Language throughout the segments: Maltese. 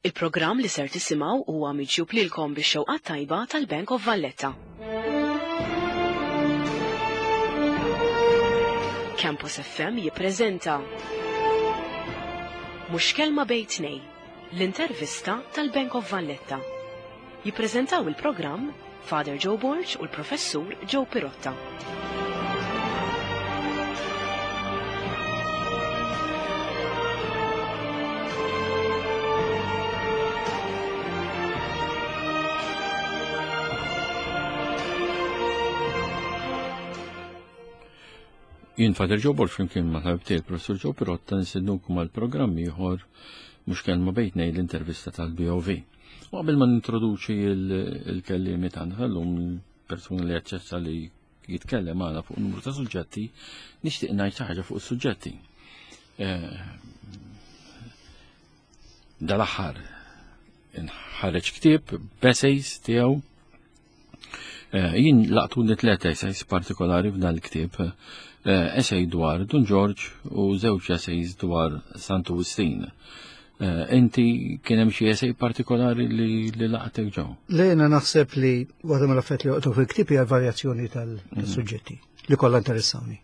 Il-programm li ser tisimgħu huwa miġjub lilkom bix-xewqa tajba tal-Bank of Valletta. Campus FM jippreżenta Mhux kelma bejn tnej, l-intervista tal-Bank of Valletta. Jippreżentaw il-programm Father Joe Borg u l-Professur Joe Pirotta. Jien Father Joe Borg flimkien ma' tabib tiegħi Professur Joe Pirotta nistednukom għal programm ieħor mhux kelma bejtnej l-intervista tal-BOV. U qabel ma nintroduċi il-kellimi tagħna tal-lum persuna li aċċetta li jitkellem magħna fuq numru ta' suġġetti, nixtieq ngħid xi ħaġa fuq is-suġġetti. Eh, dal-aħħar nħareġ ktieb b'essays tiegħu eh, jien laqtuni tliet essays partikolari f'dan il-ktieb eh, essay dwar Dun George u żewġ essays dwar Santu Wistin. Eh, inti kien hemm xi essay partikolari li laqtek ġew? Lejna naħseb li waħda mill-affarijiet li joqgħdu fil-ktieb hija varjazzjoni tal-suġġetti mhm. li kollha interessawni.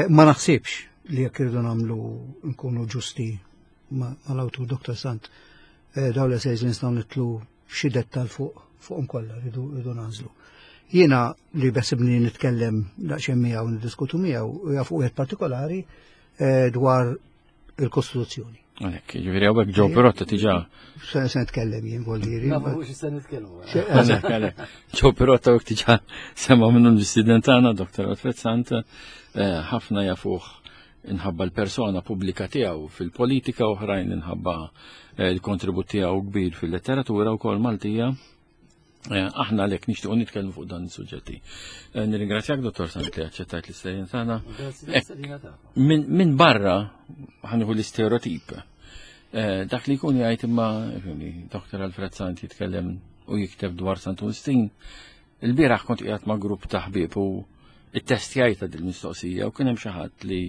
Ma naħsibx li jekk irridu nagħmlu nkunu ġusti mal-awtur Dr. Sant eh, dawn l-essays li nistgħu nitlu f'xi dettal fuq fuqhom kollha rridu rridu nagħżlu. Jiena li besibni nitkellem daqsxejn miegħu niddiskutu miegħu hija fuq wieħed partikolari eh, dwar il-Kostituzzjoni. Għalek, ġiviri għawek ġo Pirotta tiġa. Se nitkellem jien voldiri. Ma mux se nitkellmu. Għalek, għalek. Ġo Pirotta għawek tiġa sema minnu l-istudent għana, Dr. Alfred Sant, eh, ħafna jafuħ inħabba l-persona pubblika tiegħu fil-politika oħrajn inħabba eh, l-kontribut tiegħu kbir fil-letteratura wkoll Maltija. Eh, aħna għalhekk nixtiequ nitkellmu fuq dan is-suġġetti. Eh, nirringrazzjak Dottor Sant li aċċettajt l-istedin tagħna. Min barra ħanieħu l-istereotip. Dak li jkun jgħid imma Dr. Alfred Sant jitkellem u jikteb dwar Santu Wistin, Il-bieraħ kont qiegħed ma' grupp ta' ħbieb u it-testjajta din mistoqsija u kien hemm xi ħadd li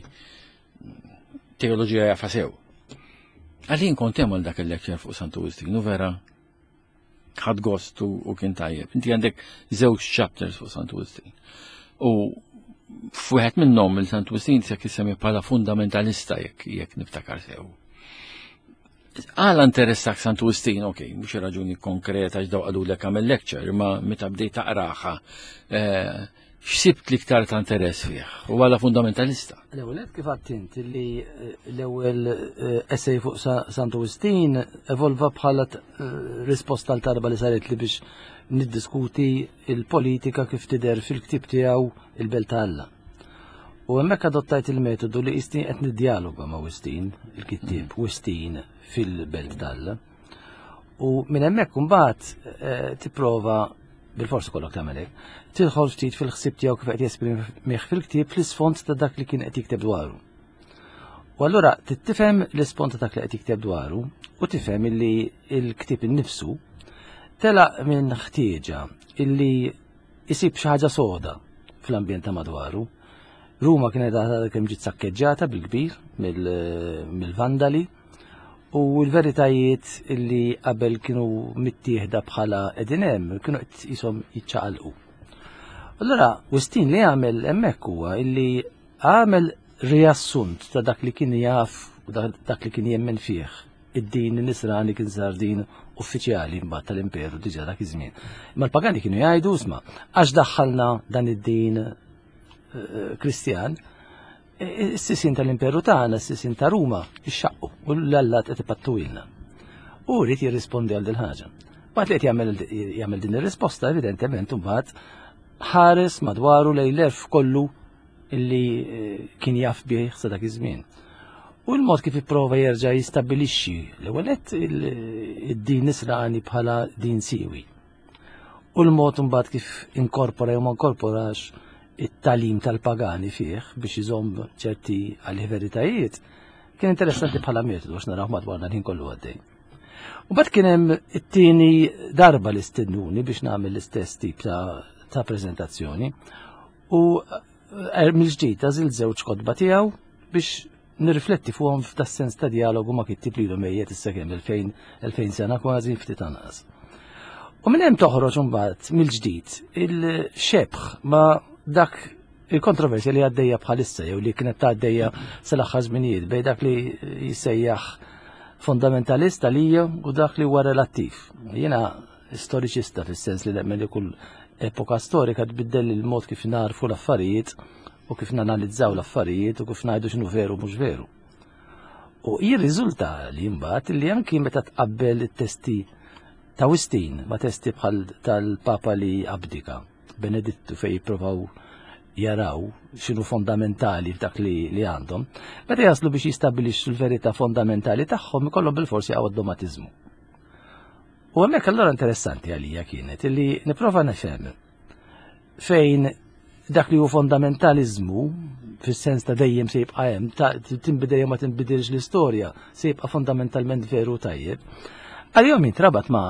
teoloġija jafa sew. Għalin kont hemm għal dak il-lecture fuq Santu Wistin u vera ħadd gost u kien tajjeb. Inti għandek żewġ chapters fuq Santu Wistin. U f'wieħed minnhom il-Santu Wistin se jissemmi bħala fundamentalista jekk jekk niftakar sew. Għala interessak Santu Wistin, ok, mhux raġuni konkreta x'daw qalulek għamel lecture, imma meta bdejt taqraha, eh, x'sibt l-iktar ta' interess fih u għala fundamentalista. L-ewwel kif għattint li eh, l-ewwel eh, essay fuq Santu Wistin evolva bħala risposta għal tarba li saret li biex niddiskuti il-politika kif tidher fil-ktieb tiegħu il-Belt ta' Alla. U hemmhekk adottajt il-metodu li qisni qed niddjaloga ma' Wistin, il-kittieb mm. Wistin fil-Belt t'Alla. U minn hemmhekk imbagħad eh, tipprova bil-forsi kollok tagħmel hekk, tidħol ftit fil-ħsieb tiegħu kif qed jesprimih fil-ktieb fl-isfond ta' dak li kien qed jikteb dwaru. U allura tifhem l-isfond ta' dak li qed jikteb dwaru u tifhem illi l-ktieb innifsu telaq minn ħtieġa illi isib xi ħaġa soda fl-ambjent ta' madwaru. Ruma kienet għadha kemm ġiet sakkeġġata bil-kbir mill-Vandali u l-veritajiet li qabel kienu mittieħda bħala qegħdin hemm kienu qed qishom jiċċaqalqu. Allura Wistin li għamel hemmhekk huwa illi għamel riassunt ta' dak li kien jaf u dak li kien jemmen fih id-din nisrani kien sar din uffiċjali mbagħad tal-imperu diġà dak iż-żmien. Imma l-pagani kienu jgħidu isma' għax daħħalna dan id-din eh, Kristjan, eh, is-sisin tal-imperu tagħna, is-sisin ta' Ruma, ixxaqqu u l-allat qed ipattuilna. U rrid jirrispondi għal din ħaġa. Waqt li qed jagħmel din ir-risposta, evidentement imbagħad ħares madwaru lejn l-erf kollu illi eh, kien jaf bih sa dak iż-żmien. U l-mod kif ipprova jerġa' jistabbilixxi l-ewwel id-din nisrani bħala din siwi. U l-mod imbagħad kif inkorpora jew ma inkorporax it-talim tal-pagani fih biex iżomm ċerti għalih veritajiet, kien interessanti bħala metodu għax naraw madwarna l-ħin kollu għaddej. U bat kien hemm it-tieni darba li stednuni biex nagħmel l-istess tip ta', ta prezentazzjoni. U eh, mill-ġdid għażil żewġ kotba tiegħu biex nirrifletti fuqhom f'da sens ta' dialogu ma' kittib li mejjet issa kemm 2000 sena kważi ftit anqas. U minn hemm toħroġ imbagħad mill-ġdid il-xebħ ma' dak il-kontroversja li għaddejja bħalissa jew li kienet għaddejja sal-aħħar żminijiet bejn dak li jissejjaħ fundamentalist għalija u dak li huwa relattiv. Jiena storiċista fis-sens li nemmen li kull epoka storika tbiddel il-mod kif narfu l-affarijiet u kif nanalizzaw l-affarijiet u kif ngħidu x'inhu veru mhux veru. U jirriżulta li mbagħad li anki meta tqabbel it-testi ta' Wistin ma' testi bħal tal-Papa li abdika, Benedittu fej jippruvaw jaraw x'inhu fondamentali f'dak li, li għandhom, meta jaslu biex jistabilixxu l-verità fondamentali tagħhom ikollhom bil-forsi għaw dogmatiżmu. U hemmhekk allura interessanti għalija kienet illi nipprova nifhem fejn dak li hu fondamentalizmu fis-sens ta' dejjem se jibqa' hemm, ta' tinbidel jew ma tinbidilx l-istorja, se jibqa' fondamentalment veru tajjeb. Għalihom jintrabat ma'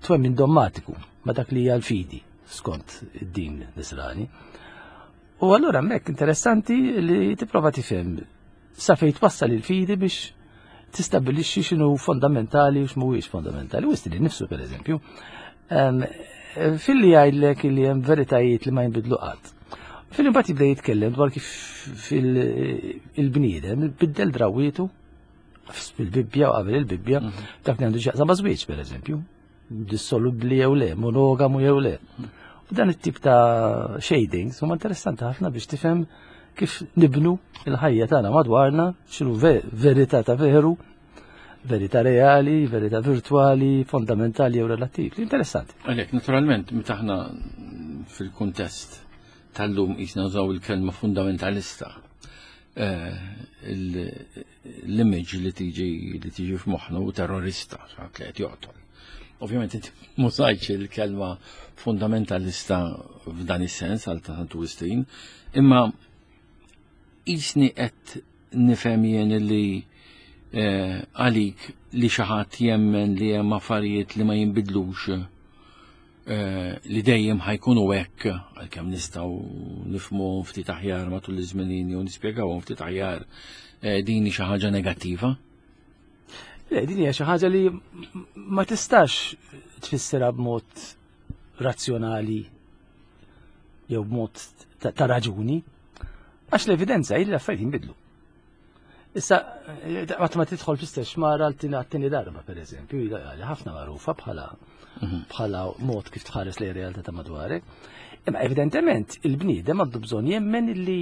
twemmin dommatiku, ma' dak li hija l-fidi skont id-din nisrani. U allura hemmhekk interessanti li tipprova tifhem sa fejn twassal il-fidi biex tistabbilixxi x'inhu fondamentali u x'mhuwiex fondamentali. Wist li nifsu pereżempju, filli jgħidlek li hemm veritajiet li ma jinbidlu qatt. Filli mbagħad jibda jitkellem dwar kif il-bniedem biddel drawietu fil-Bibbja u qabel il-Bibbja, mhm. dak li għandu x'jaqsam ma' żwieġ pereżempju, dissolubbli jew le, monogamu jew le. U dan it-tip ta' shadings huma interessanti ħafna biex tifhem kif nibnu il-ħajja tagħna madwarna, x'inhu verità ta' veru, verità reali, verità virtuali, fondamentali jew relattiv. Interessanti. Għalhekk, naturalment, meta aħna fil-kuntest tal-lum qisna nużaw il-kelma fundamentalista, eh, l-image li tiġi li tiġi f'moħħna u terrorista, xaħat li qed joqtol. Ovvjament inti mużajċ il-kelma fundamentalista f'dan is-sens għal ta' Santu Wistin, imma jisni qed nifhem jien li eh, għalik li xi ħadd jemmen li hemm affarijiet li ma jinbidlux eh, li dejjem ħajkunu hekk għalkemm nistgħu nifhmuhom ftit aħjar matul iż-żmien u nispjegawhom ftit aħjar eh, din xi ħaġa negattiva. Le, din hija xi ħaġa li ma tistax tfissirha b'mod razzjonali jew b'mod ta' raġuni, għax l-evidenza hi li l-affarijiet jinbidlu. Issa, għat ma tidħol fl-istess xmara għal-tieni darba, per eżempju, li ħafna magħrufa bħala mhm. bħala mod kif tħares lejn realtà ta' madwarek. Imma evidentement il-bniedem għandu bżonn jemmen li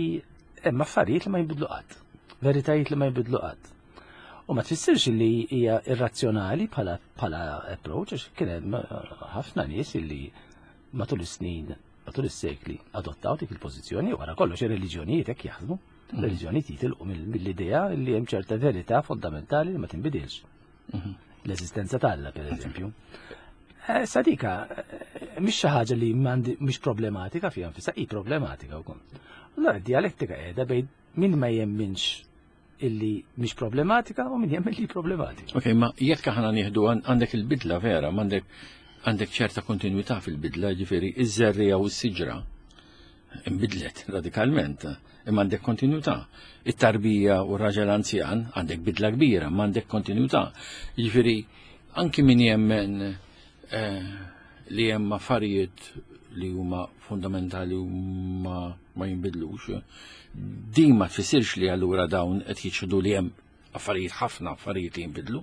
hemm affarijiet li ma jinbidlu qatt, veritajiet li ma jinbidlu qatt. U ma tfissirx li hija irrazzjonali bħala bħala approach, għax kien hemm ħafna nies illi matul is-snin, matul is-sekli adottaw dik il-pożizzjoni wara kollox ir-reliġjonijiet hekk jaħdmu. Mhm. Reliġjonijiet jitilqu mill-idea li hemm ċerta verità fondamentali li ma tinbidilx. Mhm. L-eżistenza t'Alla, per eżempju. Eh, sadika, eh, mhix xi ħaġa li mhix problematika fiha nfisha, hi problematika wkoll. Allora dialettika qiegħda bejn min ma jemminx illi mhix problematika u min jemmen li problematika. Ok, ma jekk aħna nieħdu għandek il-bidla vera, m'għandek għandek ċerta kontinuità fil-bidla, ġifieri iż-żerrija u s-siġra imbidlet radikalment, imma għandek kontinuità. It-tarbija u r-raġel anzjan għandek bidla kbira, ma għandek kontinuità. Ġifieri anki min jemmen eh, li hemm affarijiet li huma fundamentali u ma, ma jinbidlux, din ma tfissirx li allura dawn qed jiċħdu li hemm affarijiet ħafna affarijiet li jinbidlu.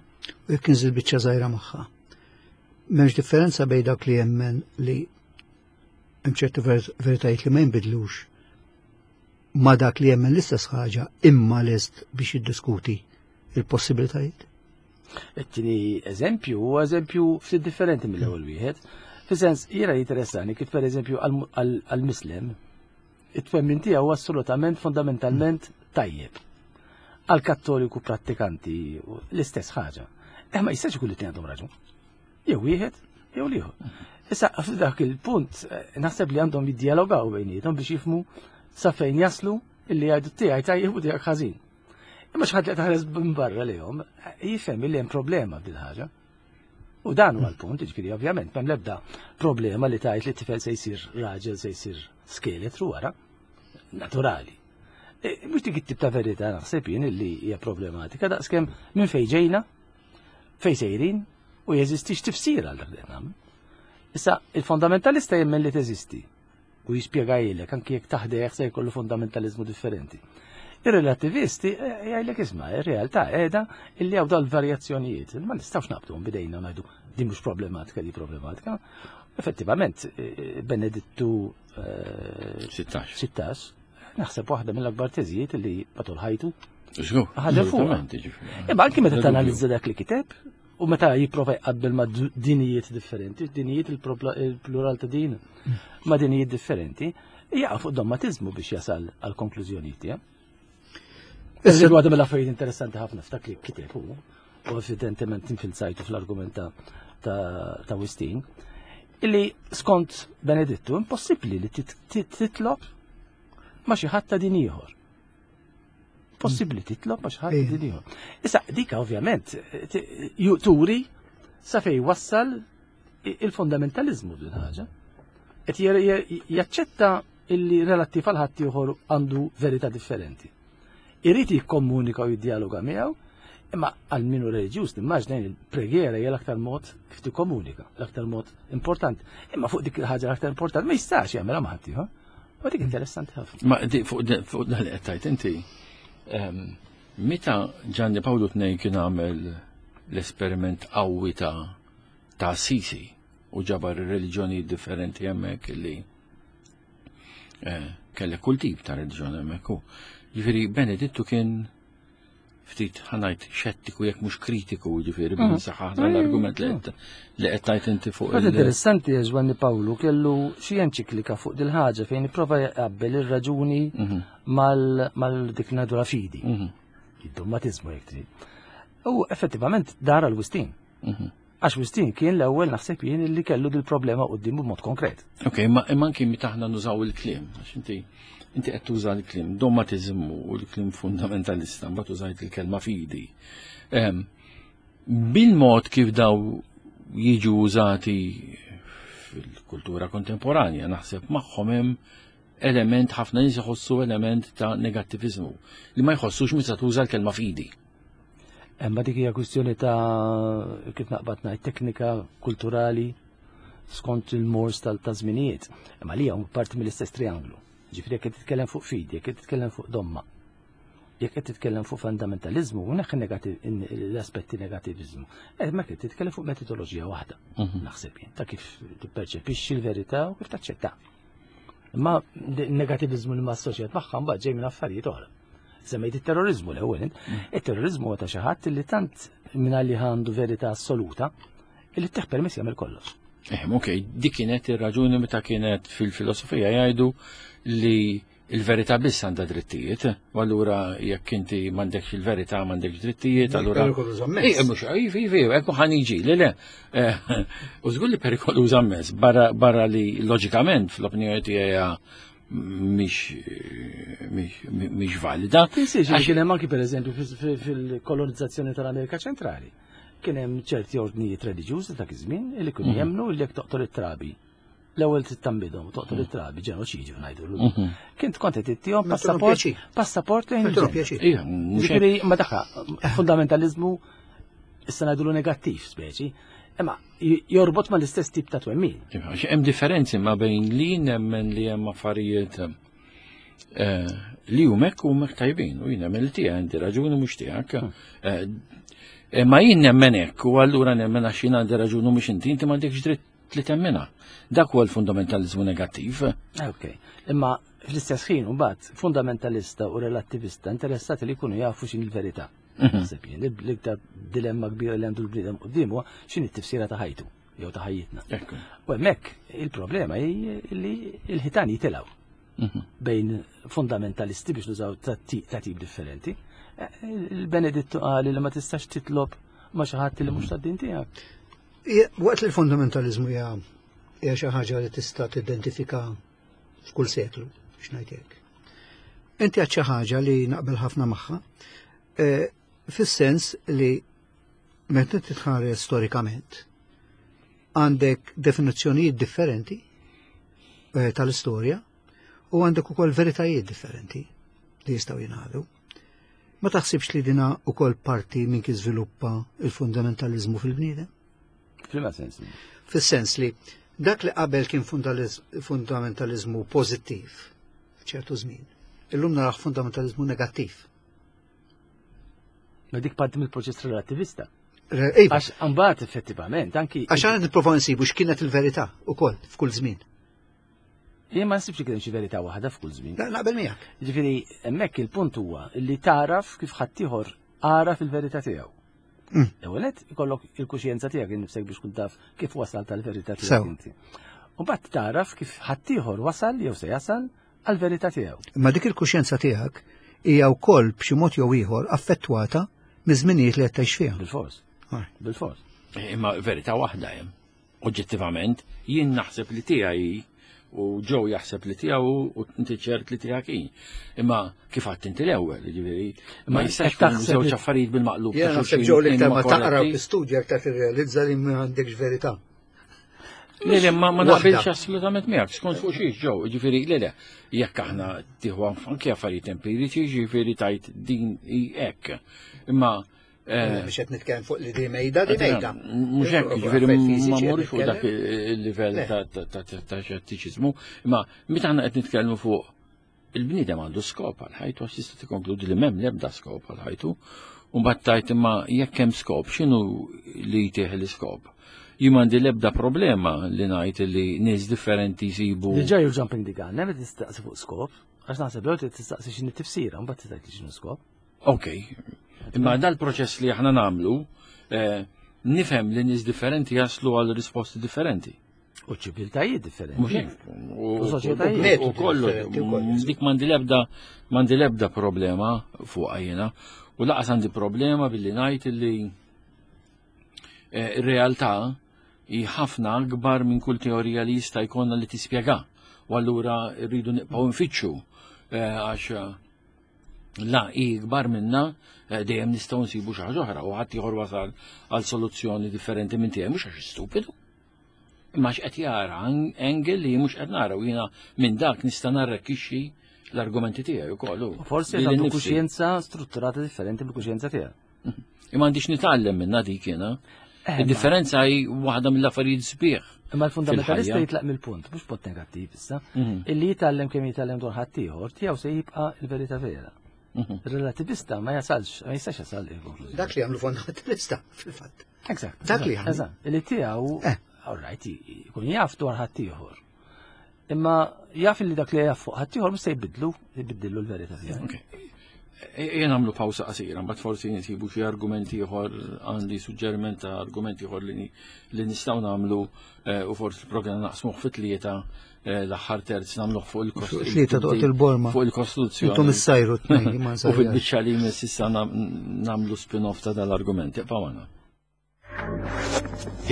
U jekk inżil biċċa żgħira magħha. M'hemmx differenza bejn dak li jemmen li hemm ċertu veritajiet li ma jinbidlux ma dak li jemmen l-istess ħaġa imma lest biex jiddiskuti il-possibilitajiet. It-tieni eżempju huwa eżempju ftit differenti mill-ewwel wieħed. Fis-sens jiena jinteressani kif pereżempju għall-Mislem it-twemmin tiegħu assolutament fondamentalment tajjeb. Għall-Kattoliku prattikanti l-istess ħaġa. Eh ma jistax ikun li għandhom raġun. Jew wieħed jew l-ieħor. Issa f'dak il-punt eh, naħseb li għandhom jiddialogaw bejniethom biex jifmu sa fejn jaslu illi jgħidu tiegħi tajjeb u tiegħek ħażin. Imma xi ħadd li taħres minn barra lejhom jifhem li hemm problema b'dil ħaġa. U dan huwa l-punt, jiġifieri ovvjament m'hemm l-ebda problema li tgħid li t-tifel se jsir raġel se jsir skeletru wara. Naturali. E, mhux dik it-tip ta' verità naħseb jien illi hija problematika daqskemm minn fejn ġejna, fejn sejrin u jeżistix tifsir għal dak li qed nagħmlu. Issa, il-fondamentalista jemmen li teżisti u jispjegajlek anki jekk taħdejh se jkollu fundamentalizmu differenti. Ir-relativisti eh, jgħidlek isma' ir-realtà qiegħda illi hawn dal-varjazzjonijiet. Ma nistgħux naqbduhom bidejna u ngħidu din mhux problematika di problematika. Effettivament, eh, Benedittu 16. 16, naħseb waħda mill-akbar teżijiet li matul ħajtu. Ħadem fuq. Imma anki meta tanalizza dak li kiteb, u meta jipprova jqabbel ma' dinijiet differenti, dinijiet il-plural ta' din, ma' dinijiet differenti, jaqa' fuq dogmatizmu biex jasal għal konklużjonijiet tiegħu. Issa waħda mill-affarijiet interessanti ħafna f'dak li kiteb hu, u evidentement infilzajtu fl-argument ta' Wistin, illi skont Benedittu impossibbli li titlob ma' xi ħadd ta' din ieħor. Possibbli titlob ma' xi ħadd ta' din ieħor. Issa dika ovvjament turi sa fej wassal il-fundamentalizmu din ħaġa. Qed jaċċetta illi relattiv għal ħadd ieħor għandu verità differenti. Irid jikkomunika u jiddialoga miegħu, imma għal minu reliġjuż nimmaġna il-preghiera hija l-aktar mod kif tikkomunika, l-aktar mod importanti. Imma fuq dik il-ħaġa l-aktar importanti ma jistax jagħmilha ma' ħadd ieħor. U dik interessanti ħafna. Ma fuq dan li qed tgħid inti, ehm, meta Gianni Paolo II kien għamel l-esperiment qawwi ta' ta' Assisi u ġabar ir-reliġjonijiet differenti hemmhekk li eh, kellek kull tip ta' reliġjon hemmhekk u. Jiġifieri Benedittu kien ftit ħanajt xettiku jekk mhux kritiku ġifieri mm. bil saħħa l-argument li qed tgħid inti fuq. Għad interessanti għax Giovanni Pawlu kellu xi enċiklika fuq dil-ħaġa fejn ipprova jaqabbel ir-raġuni mhm. mal-dik nadura fidi. Mhm. Id-dogmatizmu jekk trid. U effettivament dar għal Wistin. Mhm. Għax Wistin kien l-ewwel naħseb jien li kellu dil-problema quddiem b'mod konkret. Ok, ma imma anki meta aħna nużaw il-kliem, għax inti inti qed tuża l-kliem dogmatiżmu u l-kliem fundamentalista, mbagħad użajt il-kelma fidi. Ehm, bil-mod kif daw jiġu użati fil-kultura kontemporanja, naħseb magħhom hemm element ħafna nies iħossu element ta' negattiviżmu li ma jħossux meta tuża l-kelma fidi. Imma dik hija kwistjoni ta' kif naqbad ngħid teknika kulturali skont il-mors tal-żminijiet. Imma li hawn parti mill-istess trianglu. Ġifieri jekk qed titkellem fuq fidi, jekk qed titkellem fuq domma, jekk qed titkellem fuq fundamentalizmu, u neħ l-aspetti negativizmu. Eh, ma qed titkellem fuq metodoloġija waħda, mhm. naħseb jien, ta' kif tipperċepixxi l-verità u kif taċċetta. Imma negativizmu li ma assoċjat magħha mbagħad ġej minn affarijiet oħra. Semmejt it-terrorizmu l-ewwel, mm. it-terrorizmu huwa ta' xi ħadd li tant minn li għandu verità assoluta li teħ permess jagħmel kollox. Eh, ok, dik kienet ir-raġuni meta kienet fil-filosofija jgħidu li il-verità biss għandha drittijiet, u allura jekk inti m'għandekx il-verità m'għandekx drittijiet, allura. Perikoluż ammens. Ej, mhux, iva, iva, iva, hekk ħan jiġi, le le. Eh, u żgur li perikoluż ammens, barra li loġikament fl-opinjoni tiegħi mhix valida. Tinsiex li kien hemm anki pereżempju fil-kolonizzazzjoni tal-Amerika Ċentrali. Kien hemm ċerti ordnijiet reliġjużi dak iż-żmien li kienu mhm. jemmnu li jekk toqtol it-trabi l-ewwel trid tambidhom toqtol mhm. it-trabi ġenoċidju ngħidu l mhm. Kien tkont qed ittihom passaport passaport lejn il-ġenna. Jiġifieri ma daħħa fundamentalizmu issa ngħidulu negattiv speċi, imma jorbot ma l-istess tip ta' twemmin. Iva, hemm differenzi ma bejn li nemmen li hemm affarijiet eh, li huma hekk u hekk tajbin u jien nemmen li tiegħek għandi raġuni mhux tiegħek. Hmm. Eh, eh, ma jien nemmen hekk u allura nemmen għax jien għandi raġuni mhux inti, inti m'għandekx dritt li temmina. Dak huwa l-fundamentalizmu negattiv. Ok, imma fl-istess ħin mbagħad fundamentalista u relattivista interessati li jkunu jafu x'in il-verità. Mhm. Naħseb jien, l-iktar dilemma kbira li għandu l-bniedem qudiem huwa x'inhi t-tifsira ta' ħajtu jew ta' ħajjitna. U hemmhekk il-problema hi li l-ħitan jitilgħu mhm. bejn fundamentalisti biex nużaw ta' tip differenti. Eh, il-Benedittu qal li ma tistax titlob ma xi ħadd li mhux tad-din tiegħek. Waqt li l-fundamentalizmu hija xi ħaġa li tista' tidentifika f'kull seklu, biex ngħid hekk. Inti għad xi ħaġa li naqbel ħafna magħha, eh, fis-sens li meta titħares storikament għandek definizzjonijiet differenti eh, tal-istorja u għandek ukoll veritajiet differenti. li jistgħu jingħadu. Ma taħsibx li dina ukoll parti minn kif żviluppa il-fundamentaliżmu fil-bniedem? F'liema sens? Fis-sens li dak li qabel kien fundamentaliżmu pożittiv f'ċertu żmien, illum naraħ fundamentaliżmu negattiv. Ma dik parti mill-proċess relativista. Iva. Għax mbagħad effettivament anki. Għax għana nipprovaw nsibu x'kienet il-verità ukoll f'kull żmien. Jien ma nsibx li kien xi verità waħda f'kull żmien. Naqbel miegħek. Ġifieri hemmhekk il-punt huwa li taraf kif ħaddieħor għaraf il-verità tiegħu. L-ewwel nett ikollok il-kuxjenza tiegħek innifsek biex tkun taf kif wasal tal-verità tiegħek inti. U mbagħad taraf kif ħaddieħor wasal jew se jasal għall-verità tiegħu. Imma dik il-kuxjenza tiegħek hija wkoll b'xi mod jew ieħor affettwata miż-żminijiet li qed tgħix fiha. Bil-fors. Bil-fors. Imma verità waħda hemm. Oġġettivament, jien naħseb li tiegħi u Joe jaħseb li tiegħu u inti ċert li tiegħek hi. Imma kif għadt inti l-ewwel, jiġifieri, ma jistax ikun żewġ affarijiet bil-maqlub. Jien naħseb Joe li iktar ma taqra u tistudja aktar tirrealizza li ma għandekx verità. Le, le, ma naqbilx assolutament miegħek, skont fuq xiex Joe, jiġifieri, le, le, jekk aħna tieħu anke affarijiet empiriċi, jiġifieri tajt din hi hekk. Imma Biex qed nitkellem fuq li di mejda, di mejda. Mhux hekk, jiġifieri ma mmurx fuq dak il-livell ta' xettiċiżmu, imma meta aħna qed nitkellmu fuq il-bniedem għandu skop għal ħajtu għax tista' tikkonkludi li m'hemm l-ebda skop għal ħajtu. U mbagħad tajt imma jekk hemm skop, x'inhu li jtih l-iskop? Jien m'għandi l-ebda problema li ngħid li nies differenti jsibu. Diġà you're jumping the gun, hemm tistaqsi fuq skop, għax naħseb l tistaqsi x'inhi tifsira, mbagħad tgħid li x'inhu skop. Ok, imma dal-proċess li aħna namlu, eh, nifhem li nies differenti jaslu għal risposti differenti. U ċiviltajiet differenti. Mhux hekk. U soċjetajiet. U kollu. Dik m'għandi l-ebda m'għandi l-ebda problema fuq jiena. U laqas għandi problema billi ngħid li eh, ir-realtà hi ħafna akbar minn kull teorija li jista' jkollna li tispjega. U allura rridu nibqgħu nfittxu eh, għax la hi ikbar minna eh, dejjem nistgħu nsibu xi ħaġa oħra u ħadd ieħor wasal għal soluzzjoni differenti minn tiegħi mhux għax stupidu. Imma x'qed jara angle li mhux qed nara u jiena minn dak nista' narrekkixxi l-argumenti tiegħi wkoll. Forsi għandu kuxjenza strutturata differenti mill-kuxjenza tiegħek. Imma għandix nitgħallem minna dik jiena. Eh, Id-differenza hi waħda mill-affarijiet sbieħ. Imma l-fundamentalista jitlaq mill-punt, mhux punt negattiv issa, mhm. illi jitgħallem kemm jitgħallem dwar ħaddieħor, tiegħu se jibqa' l-verità vera. Mhm. Relativista ma jasalx, ma jistax jasal il-konklużjoni. Dak li għamlu fundamentalista, fil-fatt. Eżatt. Dak li għamlu. Eżatt, illi tiegħu, eh. all right, jkun jaf dwar ħaddieħor. Imma jaf li dak li jaf fuq ħaddieħor mhux se jbidlu, jbiddilu l-verità tiegħu. Ejja nagħmlu pawsa qasira, mbagħad forsi nsibu xi argumenti ieħor għandi suġġeriment ta' argumenti ieħor li nistgħu nagħmlu eh, u forsi l-programm naqsmuh fit tlieta eh, l-aħħar terz nagħmluh fuq il-Kostituzzjoni. Tlieta toqgħod il-borma. Fuq il-Kostituzzjoni. Intom issajru tnejn ma U fil-biċċa li jmiss issa nagħmlu spin-off ta' dal-argument. Ibqa' magħna.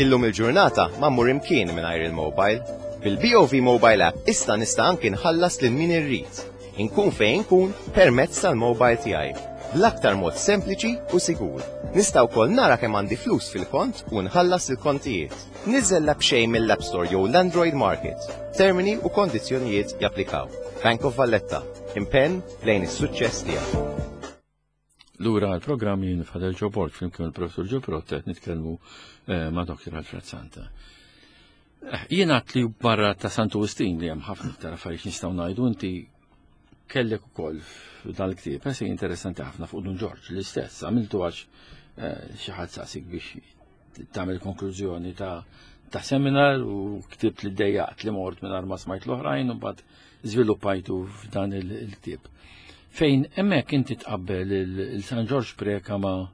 Illum il-ġurnata ma mmur imkien mingħajr il-mobile. Bil-BOV Mobile App issa nista' anki nħallas lil min irrid. Inkun fejn inkun permezz tal-mobile tiegħi. Bl-aktar mod sempliċi u sigur. Nista' wkoll nara kemm għandi flus fil-kont u nħallas il-kontijiet. Niżżel l-app xejn mill-App Store jew l-Android Market. Termini u kondizzjonijiet japplikaw. Bank of Valletta. Impenn lejn is-suċċess tiegħek. Lura għal-programm jien Fadel Joe Borg flimkien il-Professur Joe Protta qed nitkellmu eh, ma' Dr. Alfred Santa. Eh, jien għat li barra ta' Santu Wistin li hemm ħafna iktar affarijiet nistgħu ngħidu inti kellek ukoll f'dan il-ktieb esej interessanti ħafna fuq Dun Ġorġ l-istess għamiltu għax eh, xi ħadd saqsik biex tagħmel konklużjoni ta' ta' seminar u ktibt li dejjaqt li mort minn ma smajt l-oħrajn u mbagħad żviluppajtu f'dan il-ktieb. Fejn hemmhekk inti tqabbel il-San Ġorġ Preka ma'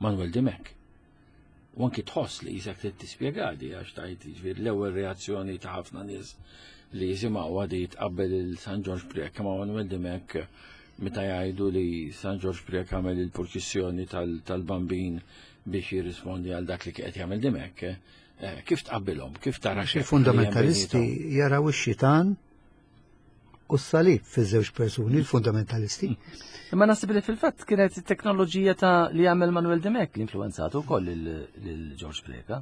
Manuel Dimek. U anki tħoss li jisek trid tispjegadi għax tajt jiġifieri l-ewwel reazzjoni ta' ħafna nies li jisimgħu għadi tqabbel il-San Ġorġ Preka ma' Manuel Dimek meta jgħidu li San Ġorġ Preka għamel il-purċissjoni tal-bambin biex jirrispondi għal dak li qed jagħmel Dimek, eh, kif tqabbilhom, kif tara xi fundamentalisti jaraw ix-xitan u s-salib fiż-żewġ persuni, il-fundamentalisti. Imma naħseb li fil-fatt kienet it-teknoloġija ta' li għamel Manuel Dimek li influenzatu wkoll lil George Preca.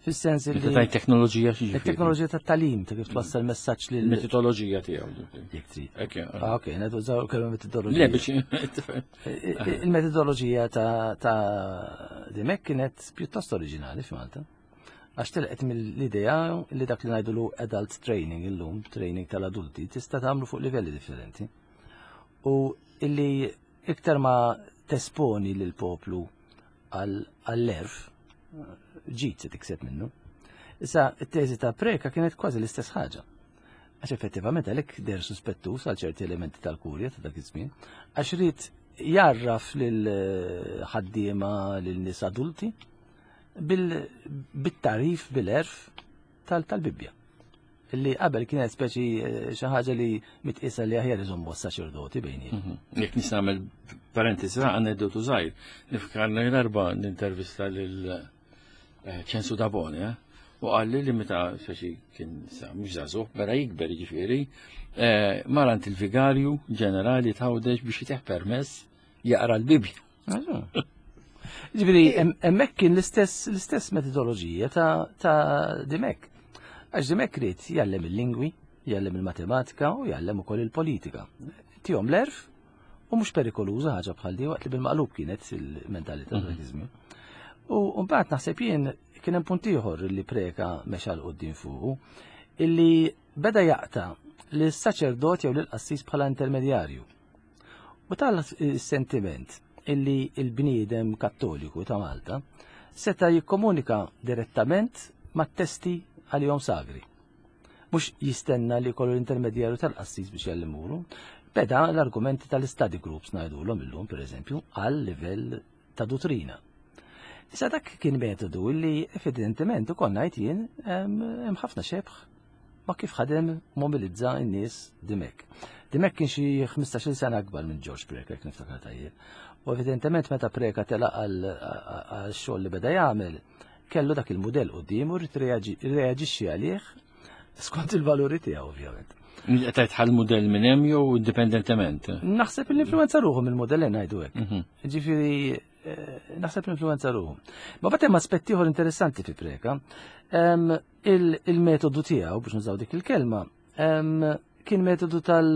Fis-sens li. Meta tajt teknoloġija xi Il-teknoloġija tat-talim ta' kif twassal messaġġ lil. Metodoloġija tiegħu. Jekk trid. Ah, ok, natużaw kelma metodoloġija. Le biex. Il-metodoloġija ta' Dimek kienet pjuttost oriġinali f'Malta. Għax telqet mill-idea li dak li ngħidulu adult training illum, training tal-adulti, tista' tagħmlu fuq livelli differenti. U illi iktar ma tesponi lil poplu għall-erf, ġid se tikseb minnu. Issa, it-teżi ta' Preka kienet kważi l-istess ħaġa. Għax effettivament għalhekk der suspettus għal ċerti elementi tal-kurja ta' dak iż-żmien, għax ried jarraf lil ħaddiema lil nies adulti bil-tarif bil-erf tal-Bibbja. Li qabel kienet speċi eh, xi ħaġa li mitqisa li aħjar iżommu s-saċerdoti bejni. Mhm. Jekk nista' nagħmel parentesi aneddotu żgħir, nifkarna darba nintervista lil eh, Ċensu Dabone, eh, u qalli li meta speċi kien sa mhux żagħżugħ, bera jikber jiġifieri, marant il-vigarju ġenerali tħawdex biex jiteħ permess jaqra l-Bibbja. Ġifieri hemmhekk kien l-istess l-istess metodoloġija ta', ta Dimek. Għax Dimek ried jgħallem il-lingwi, jgħallem il-matematika u jgħallem ukoll il-politika. Tihom l-erf u mhux perikoluża ħaġa bħal di waqt li bil-maqlub kienet il-mentalità dak iż-żmien. U mbagħad naħseb jien kien hemm punt ieħor li preka mexa l quddiem fuqu illi beda jaqta' lis-saċerdot jew lill-qassis bħala intermedjarju. U tal-sentiment illi il-bniedem kattoliku ta' Malta seta' jikkomunika direttament mat-testi għalihom sagri. Mhux jistenna li jkollu l-intermedjarju tal-qassis biex jgħallimulu. Beda l-argumenti tal-study groups ngħidulhom illum pereżempju għal livell ta' duttrina. Issa dak kien metodu li evidentement ukoll ngħid jien hemm ħafna xebħ ma kif ħadem mobilizza n-nies Dimek. Dimek kien xi 15-il sena akbar minn George Preka, jekk niftakar tajjeb. U evidentement meta Preka telaq għal xogħol li beda jagħmel, kellu dak il-mudell qudiemu rrid reaġixxi għalih skont il-valuri tiegħu ovvjament. Qed ħal mudell minn hemm jew indipendentement? Naħseb l-influenza ruħu mill-mudell ngħidu hekk. Mhm. Ġifieri eh, naħseb l-influenza ruħu. Ma bagħad hemm aspett ieħor interessanti fi Preka. Il-metodu tiegħu biex nużaw dik il-kelma kien metodu tal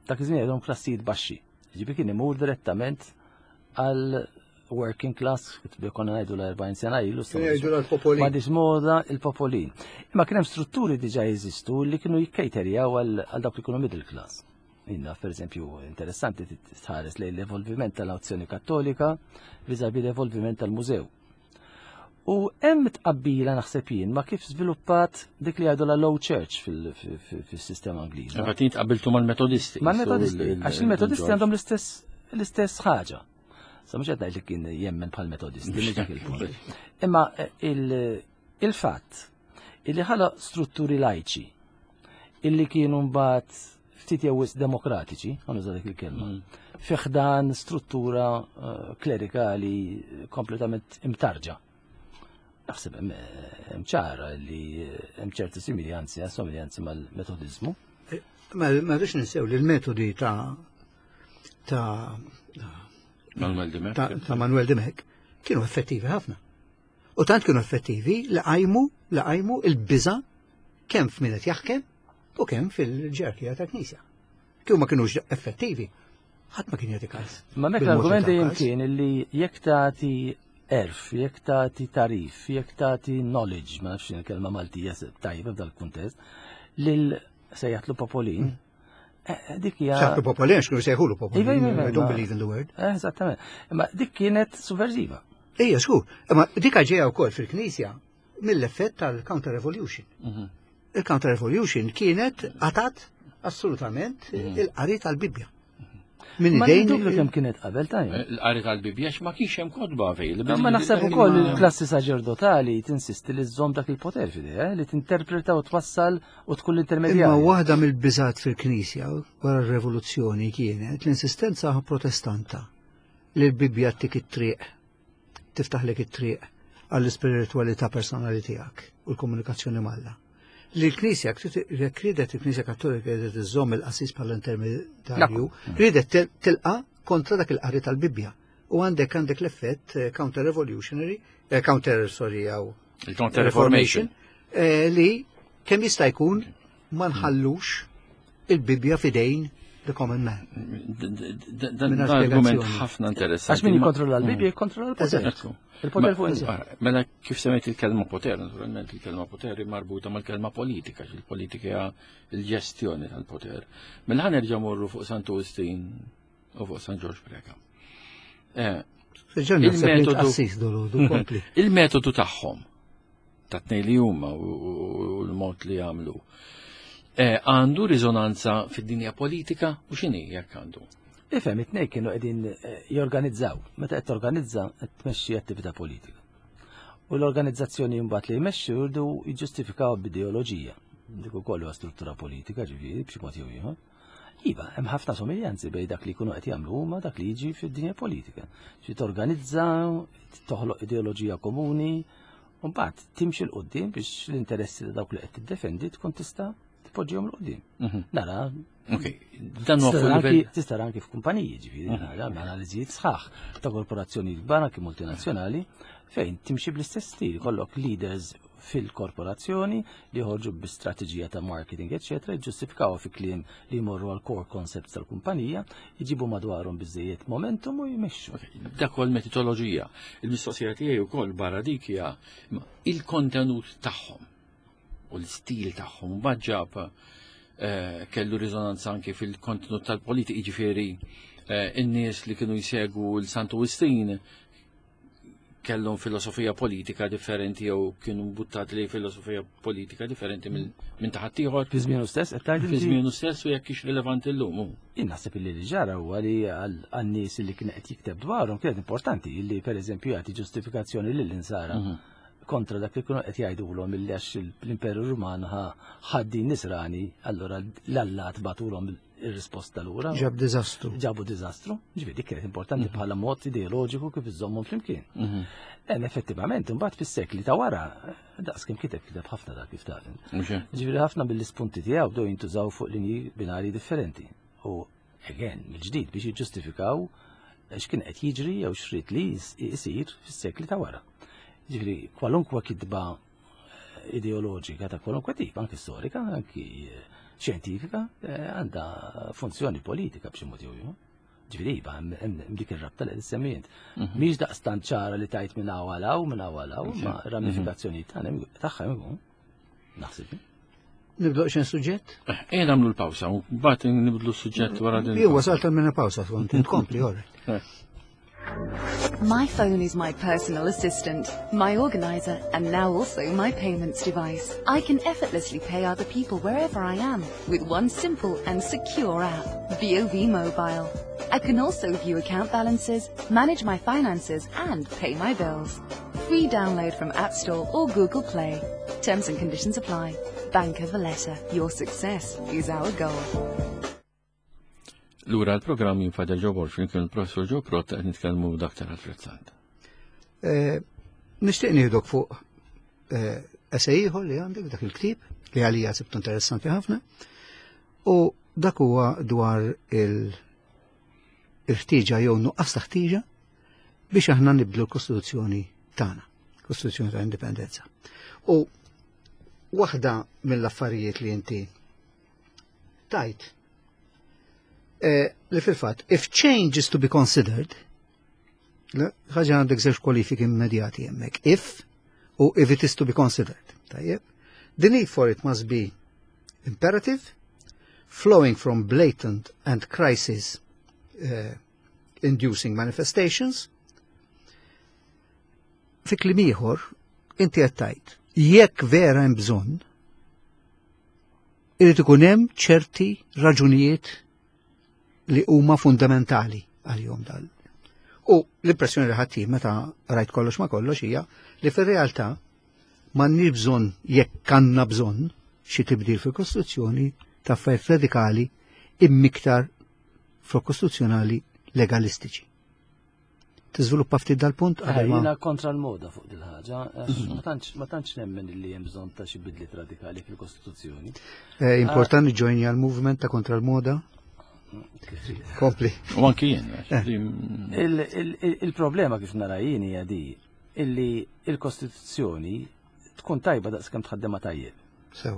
dak iż-żmien għandhom klassijiet baxxi. Ġifieri kien imur direttament għal working class, konna ngħidu l-40 sena ilu. Jgħidu l-popolin. Ma moda il-popolin. Imma kien hemm strutturi diġà jeżistu li kienu jikkejterjaw għal dawk li kienu middle class. Inna, per eżempju, interessanti tħares lejn l-evolviment tal-azzjoni kattolika vis-a-vis l-evolviment tal-mużew. U hemm tqabbila naħseb jien ma kif żviluppat dik li għadu la low church fil-sistema Ingliża. Għatin tqabbiltu mal-Metodisti. Mal-Metodisti, għax il-Metodisti għandhom l-istess l-istess ħaġa. Sa mhux qed ngħid li kien jemmen bħal Metodisti, mhux dak il-punt. Imma eh, il-fatt illi ħala strutturi lajċi illi kienu mbagħad ftit jew wisq demokratiċi, għan dik il-kelma, mm. fi ħdan struttura eh, klerikali kompletament imtarġa. Naħseb hemm eh, ċara li eh, hemm ċerti similjanzi, somiljanzi mal-metodizmu. Ma rridx ninsew li l-metodi ta' ta' Manuel Dimech ta' Manuel Dimech kienu effettivi ħafna. U tant kienu effettivi li qajmu li qajmu il-biża kemm f'min qed jaħkem u kemm fil-ġerarkija ta' knisja. Kieku ma kinux effettivi, ħadd ma kien jagħti każ. Ma mek l-argument dejjem kien li jekk tagħti erf, jekk tagħti tarif, jekk tagħti knowledge, ma nafx kelma Maltija tajba f'dal-kuntest, lil sejjaħtlu popolin, mm. eh, dik hija. Sejjaħtlu popolin, x'kienu sejħulu popolin. Iva, iva, iva, I don't believe in the word. Eh, eżattament. Imma dik kienet subversiva. Ejja, skur. Imma dik ġejja wkoll fil-Knisja mill-effett tal-Counter Revolution. Mhm. Il-Counter Revolution kienet għatat assolutament mhm. il-qari tal-Bibbja. Min Ma dubju kemm kienet qabel tajjeb. Eh, l-qari tal-Bibbja ma kienx hemm kotba available. Ma naħseb ukoll il-klassi saċerdotali tinsisti li żżomm dak il-poter f'idejha, eh, li tinterpreta u twassal u tkun l-intermedjarju. Imma waħda mill-biżat fil-Knisja wara r-Revoluzzjoni kienet l-insistenza protestanta li l-Bibbja tik it-triq tiftaħlek it-triq għall-ispiritwalità personali tiegħek u l-komunikazzjoni m'Alla. Li l-Knisja, jekk ridet il-Knisja Kattolika ridet iżżomm il-qassis bħala intermedjarju, ridet tilqa kontra dak il-qari tal-Bibbja. U għandek għandek l-effett eh, counter-revolutionary, eh, counter, sorry, għaw. Il-Counter Reformation. Li kemm jista' jkun ma nħallux il-Bibja fidejn the common man. Dan argument ħafna interessanti. Għax min jikkontrolla l-Bibja jikkontrolla l-poter. Il-poter fuq in Mela kif semmejt il-kelma poter, naturalment il-kelma poter marbuta mal-kelma politika, il-politika hija l-ġestjoni tal-poter. Mela ħa nerġa' morru fuq Santu Wistin u fuq San Ġorġ Preca. Il-metodu tagħhom ta' tnej li huma u l-mod li jagħmlu. Għandu riżonanza fid-dinja politika u x'inhi jekk għandu? Ifhem, it-tnej kienu qegħdin jorganizzaw. Meta qed torganizza qed tmexxi attività politika. U l-organizzazzjoni mbagħad li jmexxu jridu jiġġustifikaw b'ideoloġija. Dik ukoll huwa struttura politika, ġifieri b'xi mod jew ieħor. Iva, hemm ħafna somiljanzi bejn dak li jkunu qed jagħmlu huma dak li jiġi fid-dinja politika. Xi torganizza, toħloq ideoloġija komuni, u mbagħad timxi 'l quddiem biex l-interessi ta' dawk li qed tiddefendi tkun tista' tpoġġihom 'l quddiem. Nara. Ok, dan huwa fuq livell. Tista' anki f'kumpaniji, ġifieri, nara analiżijiet sħaħ ta' korporazzjonijiet kbar anki multinazzjonali fejn timxi bl-istess stil, kollok leaders fil-korporazzjoni li joħorġu bi strateġija ta' marketing, eċetera, jiġġustifikaw fi kliem li jmorru għal core concepts tal-kumpanija, jġibu madwarhom biżejjed momentum u jmexxu. Dak huwa l-metodoloġija. Il-mistoqsija tiegħi wkoll barra dik hija il-kontenut tagħhom u l-istil tagħhom mbagħad ġab kellu riżonanza anke fil-kontenut tal-politika, jiġifieri in-nies li kienu jsegwu l-Santu Wistin kellhom filosofija politika differenti jew kienu mbuttati li filosofija politika differenti minn ta' ħaddieħor. Fi żmienu stess qed tgħid Fi żmienu stess u jekk hix rilevanti llum. Jien naħseb illi li ġara huwa li għan-nies li kien qed jikteb dwarhom kienet importanti li pereżempju jagħti ġustifikazzjoni lill-insara kontra dak li kienu qed jgħidulhom illi għax l-Imperu Ruman ħaddin nisrani, allura l-allat bagħtulhom ir-risposta lura. Ġab diżastru. Ġabu diżastru. Ġifieri dik kienet importanti bħala mod ideoloġiku kif iżommhom flimkien. Hemm effettivament imbagħad fis-sekli ta' wara daqs kemm kiteb kiteb ħafna dak kif taf. Ġifieri ħafna mill-ispunti tiegħu bdew jintużaw fuq linji binari differenti. U again, mill-ġdid biex jiġġustifikaw x'kien qed jiġri jew x'rid li jsir fis-sekli ta' wara. Ġifieri kwalunkwe kitba ideoloġika ta' kwalunkwe tip, anki storika, anki xjentifika, għandha funzjoni politika b'xi mod jew ieħor. Ġifieri iva, hemm dik ir-rabta li semmi int. Mhix daqstant ċara li tajt minn hawn għal hawn, minn hawn għal hawn, ma ramifikazzjonijiet tagħha hemm ikun. Naħseb. Nibdu xejn suġġett? Ejja nagħmlu l-pawsa, u mbagħad nibdlu s-suġġett wara din. Jew wasalt għal minna pawsa skont tkompli ora. My phone is my personal assistant, my organizer, and now also my payments device. I can effortlessly pay other people wherever I am with one simple and secure app, BOV Mobile. I can also view account balances, manage my finances, and pay my bills. Free download from App Store or Google Play. Terms and conditions apply. Bank of Valletta, your success is our goal. Lura l-programm jien Father Joe Borg flimkien il-Professor Joe Pirotta qed nitkellmu Dr. Alfred Sant. Nixtieq nieħdok fuq essay ieħor li għandek dak il-ktieb li għalija sibtu interessanti ħafna u dak huwa dwar il-ħtieġa jew nuqqas ta' ħtieġa biex aħna nibdlu l-Kostituzzjoni tagħna, Kostituzzjoni ta' Indipendenza. U waħda mill-affarijiet li inti tajt li fil-fatt, if change is to be considered, ħaġa għandek żewġ kwalifiki immedjati hemmhekk, if u if it is to be considered. Tajjeb. The need for it must be imperative, flowing from blatant and crisis inducing manifestations. Fi kliem ieħor, inti qed tgħid, jekk vera hemm bżonn, irid ikun hemm ċerti raġunijiet li huma fundamentali għal-jom dal. U l-impressjoni li ħadd meta rajt kollox ma kollox hija li fir-realtà m'għandniex bżonn jekk għandna bżonn xi tibdil fil-Kostituzzjoni ta' affarijiet radikali immiktar fil-kostituzzjonali legalistiċi. Tiżviluppa ftit dal-punt qabel ma Jiena kontra l-moda fuq dil-ħaġa, għax ma tantx nemmen li hemm bżonn ta' xi bidliet radikali fil-Kostituzzjoni. Importanti joinja l-movement ta' kontra l-moda. Kompli. U anki jien, għax Il-problema kif nara jien hija di illi il-Kostituzzjoni tkun tajba daqs kemm tħaddimha tajjeb. Sew.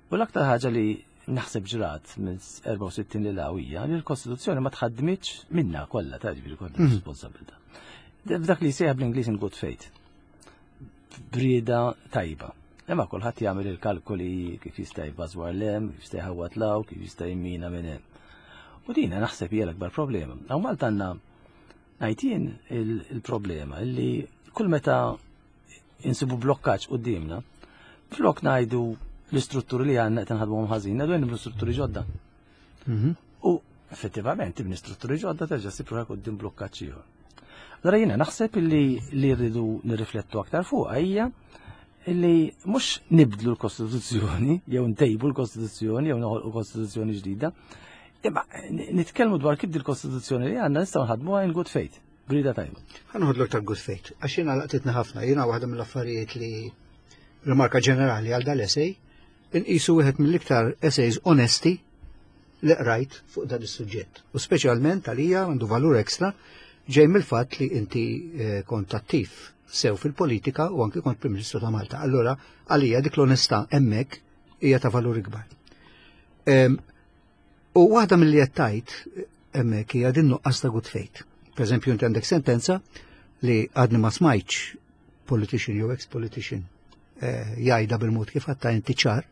U l-aktar ħaġa li naħseb ġrat minn 64 lil hawn hija li l-Kostituzzjoni ma tħaddmitx minna kollha ta' ġifieri kollha responsabilità. F'dak li jsejjaħ bl-Ingliż in good faith. B'rieda tajba. Imma kulħadd jagħmel il-kalkoli kif jista' jbażwar lem, kif jista' jħawwad law, kif jista' jimmina minn hemm. U dina naħseb hija l-akbar problema. Hawn Malta għandna ngħid jien il-problema illi kull meta insibu blokkaġġ quddiemna, flok ngħidu l-istrutturi li għandna qed inħadmuhom ħażin, ngħidu nibnu strutturi ġodda. U effettivament tibni strutturi ġodda terġa' ssib ruħek quddiem blokkaġġ ieħor. Allora jiena naħseb illi li rridu nirriflettu aktar fuqha hija illi mhux nibdlu l-Kostituzzjoni jew ntejbu l-Kostituzzjoni jew noħolqu Kostituzzjoni ġdida, imma nitkellmu dwar kif il-Kostituzzjoni li għandna nistgħu nħadmuha in good faith, b'rieda tajba. Ħa noħodlok ta' good faith, għax jiena laqtitni ħafna, jiena waħda mill-affarijiet li rimarka ġenerali għal dal-essay, inqisu wieħed mill-iktar essays onesti li qrajt fuq dan is-suġġett. U speċjalment għalija għandu valur ekstra ġej mill-fatt li inti kont attiv sew fil-politika u anki kont Prim Ministru ta' Malta. Allura għalija dik l-onestà hemmhekk hija ta' valur ikbar. U waħda mill-li qed tgħid hemmhekk hija din nuqqas ta' good faith. Per eżempju, inti għandek sentenza li għadni ma smajtx politician jew ex-politician jgħidha bil-mod kif għatta inti ċar,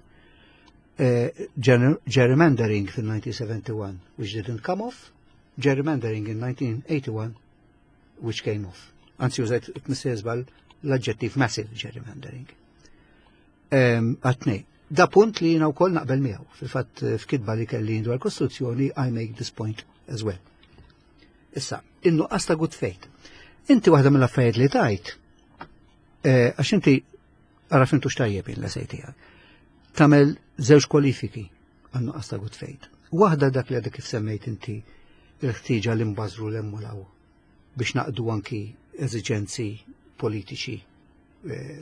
gerrymandering fil-1971, which didn't come off, gerrymandering in 1981, which came off. Anzi, użajt missejżbal l-aġġettiv massive gerrymandering. Għatnej. Da punt li jiena wkoll naqbel miegħu. Fil-fatt f'kitba li kelli dwar Kostituzzjoni, I make this point as well. Issa, in-nuqqas ta' good faith. Inti waħda mill-affarijiet li tajt, għax inti ara fintu x'tajjeb l-essay tiegħek. Tagħmel żewġ kwalifiki għan-nuqqas ta' good faith. Waħda dak li għadek kif semmejt inti il-ħtieġa li nbażru l-emmulaw biex naqdu anki eżiġenzi politiċi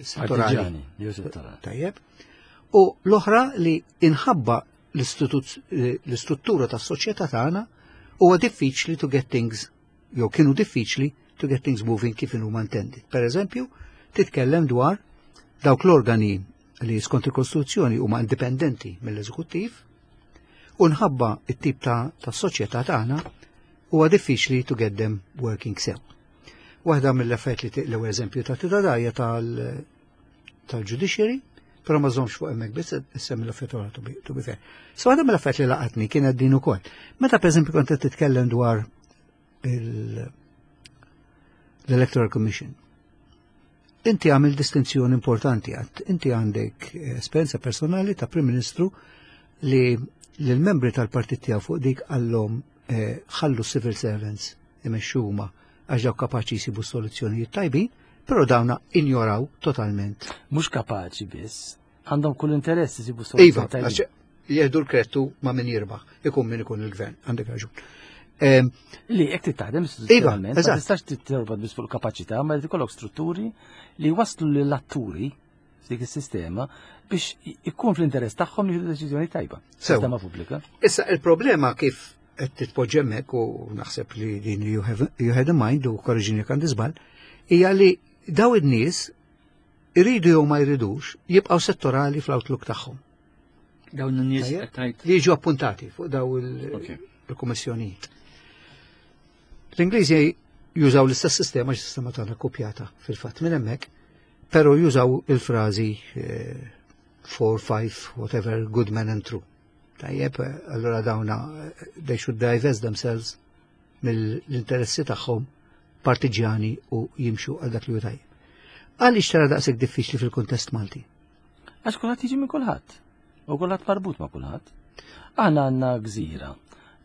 settorali. Partiġani, jew settorali. Tajjeb. U l-oħra li inħabba l-istruttura tas-soċjetà tagħna huwa diffiċli to get things, jew kienu diffiċli to get things moving kif inhuma intended. Per eżempju, titkellem dwar dawk l-organi li skont il-Kostituzzjoni huma indipendenti mill-eżekuttiv u nħabba it-tip ta' soċjetà tagħna huwa diffiċli to get them working sew. Waħda mill-effett li l-ewwel eżempju ta' tidadajja tal-judiciary, però ma żommx fuq hemmhekk biss issemmi l-effett oħra to be fair. So waħda mill-effett li laqatni kienet din ukoll. Meta pereżempju kont qed titkellem dwar l-Electoral Commission. Inti għamil distinzjoni importanti għat, inti għandek esperjenza personali ta' Prim Ministru li l-membri tal-partit tiegħu fuq dik għallhom ħallu civil servants imexxu huma għax dawk kapaċi jsibu soluzzjonijiet tajbin, però dawna injoraw totalment. Mhux kapaċi biss, għandhom kull interess jsibu Iva, soluzzjoni tajbin. għax jieħdu l-krettu ma' min jirbaħ, ikun min ikun il-gvern, għandek raġun. Li jekk titaħdem Iva, istituzzjonalment, ma eżatt. tistax tittorbat biss fuq il-kapaċità, ma jrid ikollok strutturi li waslu lill-atturi f'dik is-sistema biex ikun fl-interess tagħhom li jieħdu deċiżjoni tajba. Sew. Sistema pubblika. Issa il-problema kif qed titpoġġi hemmhekk u naħseb li din you had in mind u korriġini jekk għandi żball, hija li daw in-nies iridu jew ma jridux jibqgħu settorali fl-outlook tagħhom. Dawn in-nies Tajjeb? qed tgħid. Li jiġu appuntati fuq daw il-kummissjonijiet. L-Ingliżi jużaw l-istess sistema, għax sistema tagħna kopjata fil-fatt minn hemmhekk, però jużaw il-frażi 4, 5, whatever, good men and true. Tajjeb, allora dawna they should divest themselves mill-interessi tagħhom partiġjani u jimxu għal dak li hu tajjeb. Għaliex tara daqshekk diffiċli fil-kuntest Malti? Għax kulħadd jiġi minn kulħadd. U kulħadd marbut ma' kulħadd. Aħna għandna gżira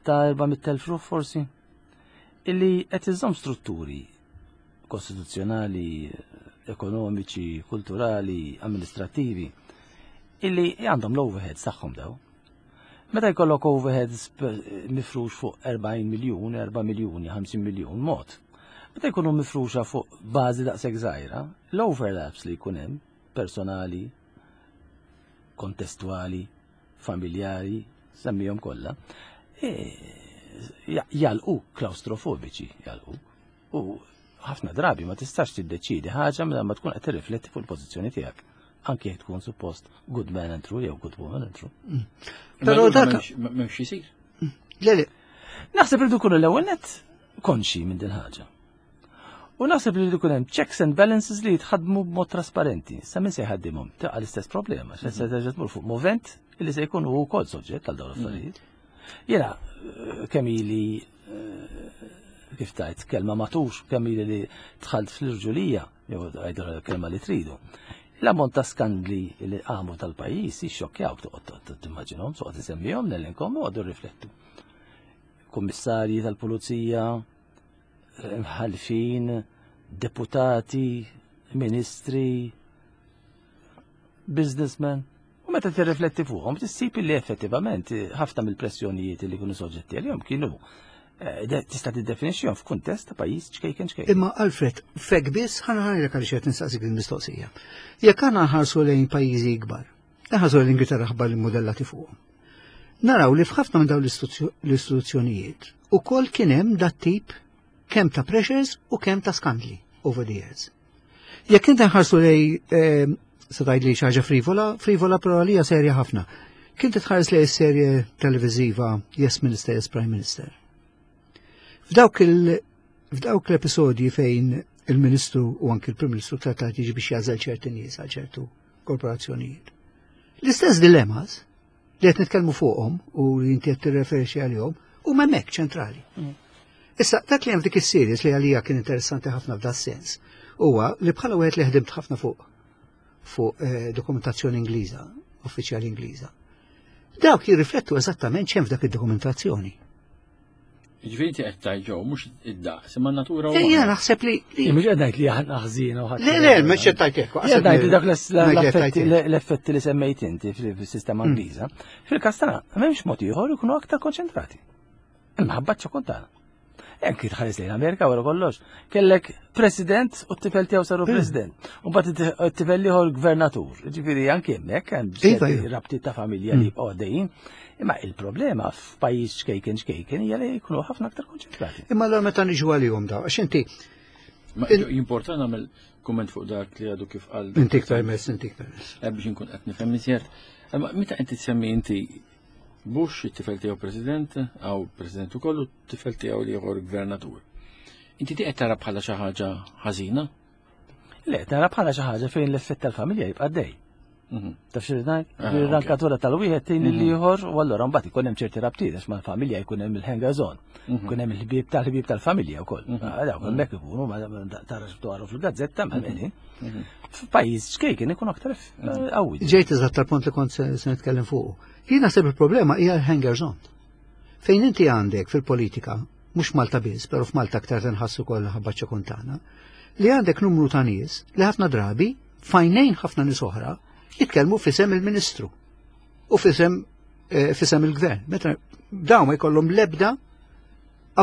ta' 400,000 ruħ forsi illi qed iżżomm strutturi kostituzzjonali, ekonomiċi, kulturali, amministrativi illi għandhom l-overheads tagħhom daw. Meta jkollok overheads mifrux fuq 40 miljun, 4 miljuni, 50 miljun mod. Meta jkunu mifruxa fuq bażi daqshekk żgħira, l-overlaps li jkun hemm personali, kontestwali, familjari, semmihom kollha, jalqu klaustrofobiċi, jalqu. U ħafna drabi ma tistax tiddeċidi ħaġa mela ma tkun qed tirrifletti fuq il-pożizzjoni tiegħek. Anke jekk tkun suppost good man and true jew good woman and true. Però dak m'hemmx isir. Le le. Naħseb li dukun l-ewwel net konxi minn din ħaġa. U naħseb li jkun hemm checks and balances li jitħadmu b'mod trasparenti. Sa min se jħaddimhom taqa' l-istess problema, se se terġa' tmur fuq movent li se jkun hu wkoll soġġett għal dawn l-affarijiet. Jiena eh, kemm ili eh, kif tajt kelma matux kemm ili li dħalt fl-irġulija, jew għajdu kelma li tridu. L-ammont ta' skandli li qamu tal-pajjiż jixxokkjawk toqgħod timmaġinhom, toqgħod isemmihom nellinkom u għadu riflettu. Kummissarji tal-pulizija, mħalfin, deputati, ministri, businessmen. U meta tirrifletti fuqhom tissib li effettivament ħafna mill-pressjonijiet li kienu soġġetti għalihom kienu eh, tista' tiddefinixxihom f'kuntest ta' pajjiż ċkejken ċkejken. Imma Alfred, fek biss ħana ħajrek għaliex qed nistaqsik il-mistoqsija. Jekk aħna nħarsu lejn pajjiżi ikbar, nħarsu lejn l-Ingilterra ħabbar li-modellati fuqhom. Naraw li f'ħafna minn dawn l-istituzzjonijiet ukoll kien hemm dat tip kemm ta' pressures u kemm ta' skandli over the years. Jekk inti nħarsu lej eh, se tgħid li xi ħaġa frivola, frivola però għalija serja ħafna. Kien titħares lej serje televiżiva Yes Minister, Yes Prime Minister. F'dawk il f'dawk l-episodji fejn il-Ministru u anki il-Prim Ministru trattat jiġi biex jażel ċerti nies għal ċertu korporazzjonijiet. L-istess dilemmas li qed nitkellmu fuqhom u li inti qed tirreferixxi għalihom huma hemmhekk ċentrali. Issa, dak li hemm f'dik is-series li għalija kien interessanti ħafna f'da sens huwa li bħala wieħed li ħdimt ħafna fuq fuq eh, dokumentazzjoni Ingliża, uffiċjali Ingliża. Dawk jirriflettu eżattament x'hemm f'dak id-dokumentazzjoni. Ġifieri inti qed tgħid ġew mhux id-daqs, imma natura u. Ejja naħseb li. Mhux qed ngħid li aħna ħżiena u ħadd. Le, le, mhux qed tgħid hekk. Qed ngħid li dak l-effetti li semmejt inti fis-sistema mm. Ingliża, fil-każ tagħna m'hemmx mod ieħor ikunu aktar konċentrati. Imħabba ċokon tagħna. Hekk tħares lejn Amerika wara kollox. Kellek president u t-tifel tiegħu saru mm. president. U mbagħad it-tifel ieħor gvernatur. Ġifieri anke hemmhekk hemm iva, iva. rabtiet ta' familja li mm. jibqgħu għaddejjin. Imma il-problema f'pajjiż ċkejken ċkejken hija li jkunu ħafna aktar konċentrati. Imma allura meta niġu għalihom daw, għax inti Jimporta nagħmel kumment fuq dak li għadu kif qal. Intik permess, intik permess. Eh, biex inkun qed nifhem iżjed. Imma meta inti tsemmi inti Bush, it-tifel tiegħu president, għaw president ukoll u t-tifel tiegħu li ieħor gvernatur. Inti qed tara bħala xi ħaġa ħażina? Le, tara bħala xi ħaġa fejn l-effett tal-familja jibqa' dej. Mhm. Taf xi ngħid? Ah, Ir-rankatura tal-wieħed tgħin mhm. l-ieħor u allura mbagħad ikun hemm ċerti rabtiet għax mal-familja jkun hemm il-hangers on. Mhm. Ikun hemm il-ħbieb tal-ħbieb tal-familja wkoll. Ah, dawk hemmhekk ikunu ma tarax dwaru fil-gazzetta ma qegħdin. F'pajjiż ċkejken ikun aktar eh, qawwi. Ġejt eżatt tal-punt li kont se nitkellem fuq. Jien naħseb il-problema hija l-hangers on. Fejn inti għandek fil-politika, mhux Malta biss, però f'Malta aktar tinħassu kollha ħabba ċekuntana, li għandek numru ta' nies li ħafna drabi fajnejn ħafna nies oħra jitkellmu fisem il-Ministru u fisem eh, fisem il-Gvern. Meta dawn ma jkollhom lebda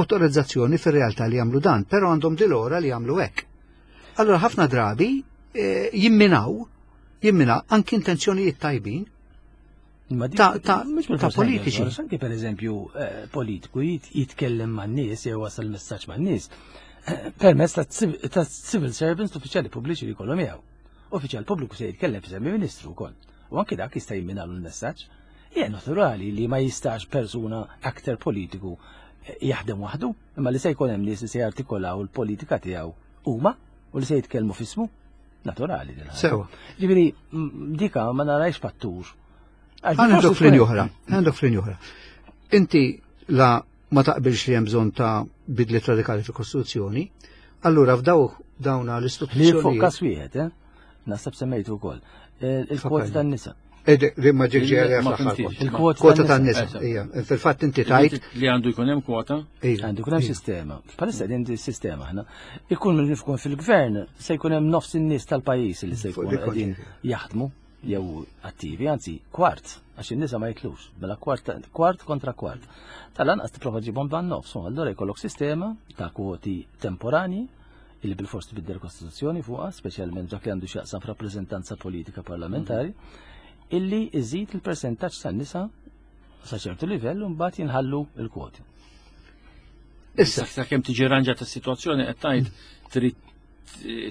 awtorizzazzjoni fir-realtà li jagħmlu dan, però għandhom dilora li jagħmlu hekk. Allora ħafna drabi eh, jimminaw, jimminaw anki intenzjonijiet tajbin ta' ta' ta' politiċi. Anki per eżempju eh, politiku jitkellem man nies jew wasal messaġġ man nies eh, permezz ta' civil servants uffiċjali pubbliċi li jkollhom miegħu. Uffiċjal pubbliku se jitkellem f'isem ministru wkoll. U anki dak jista' jimminalu l-messaġġ. Hija naturali li ma jistax persuna aktar politiku eh, jaħdem waħdu, imma li se jkun hemm nies li se jartikolaw il-politika tiegħu huma u li se jitkellmu f'ismu. Naturali din. Sewa. Ġifieri dika ma narajx fattur. Għandok flin oħra, għandok flin oħra. Inti la ma taqbilx li hemm bżonn ta' bidliet radikali fil-Kostituzzjoni, allura f'daw dawna l-istituzzjoni. Li fuq kas wieħed, eh? Naħseb semmejtu wkoll. Eh, il-kwoti tan-nisa. Rimma ġirġi Il-kwota tan-nisa. Fil-fatt inti tajt. Li għandu jkun hemm kwota? Għandu jkun hemm sistema. Bħalissa din sistema aħna. Ikun min jkun fil-gvern se jkun hemm nofs in-nies tal-pajjiż li se jkun qegħdin jaħdmu jew attivi, anzi kwart, għax in-nisa ma jitlux, mela kwart, kwart kontra kwart. Tal-anqas tipprova ġibhom ban nofs, u allura jkollok sistema ta' kwoti temporani illi bil-fors tbiddel kostituzzjoni fuqha, speċjalment dak li għandu x'jaqsam f'rappreżentanza politika parlamentari, illi iżid il-persentaġġ tan-nisa sa ċertu livell u mbagħad jinħallu l-kwoti. Issa, sa kemm tiġi ranġata s-sitwazzjoni qed tgħid trid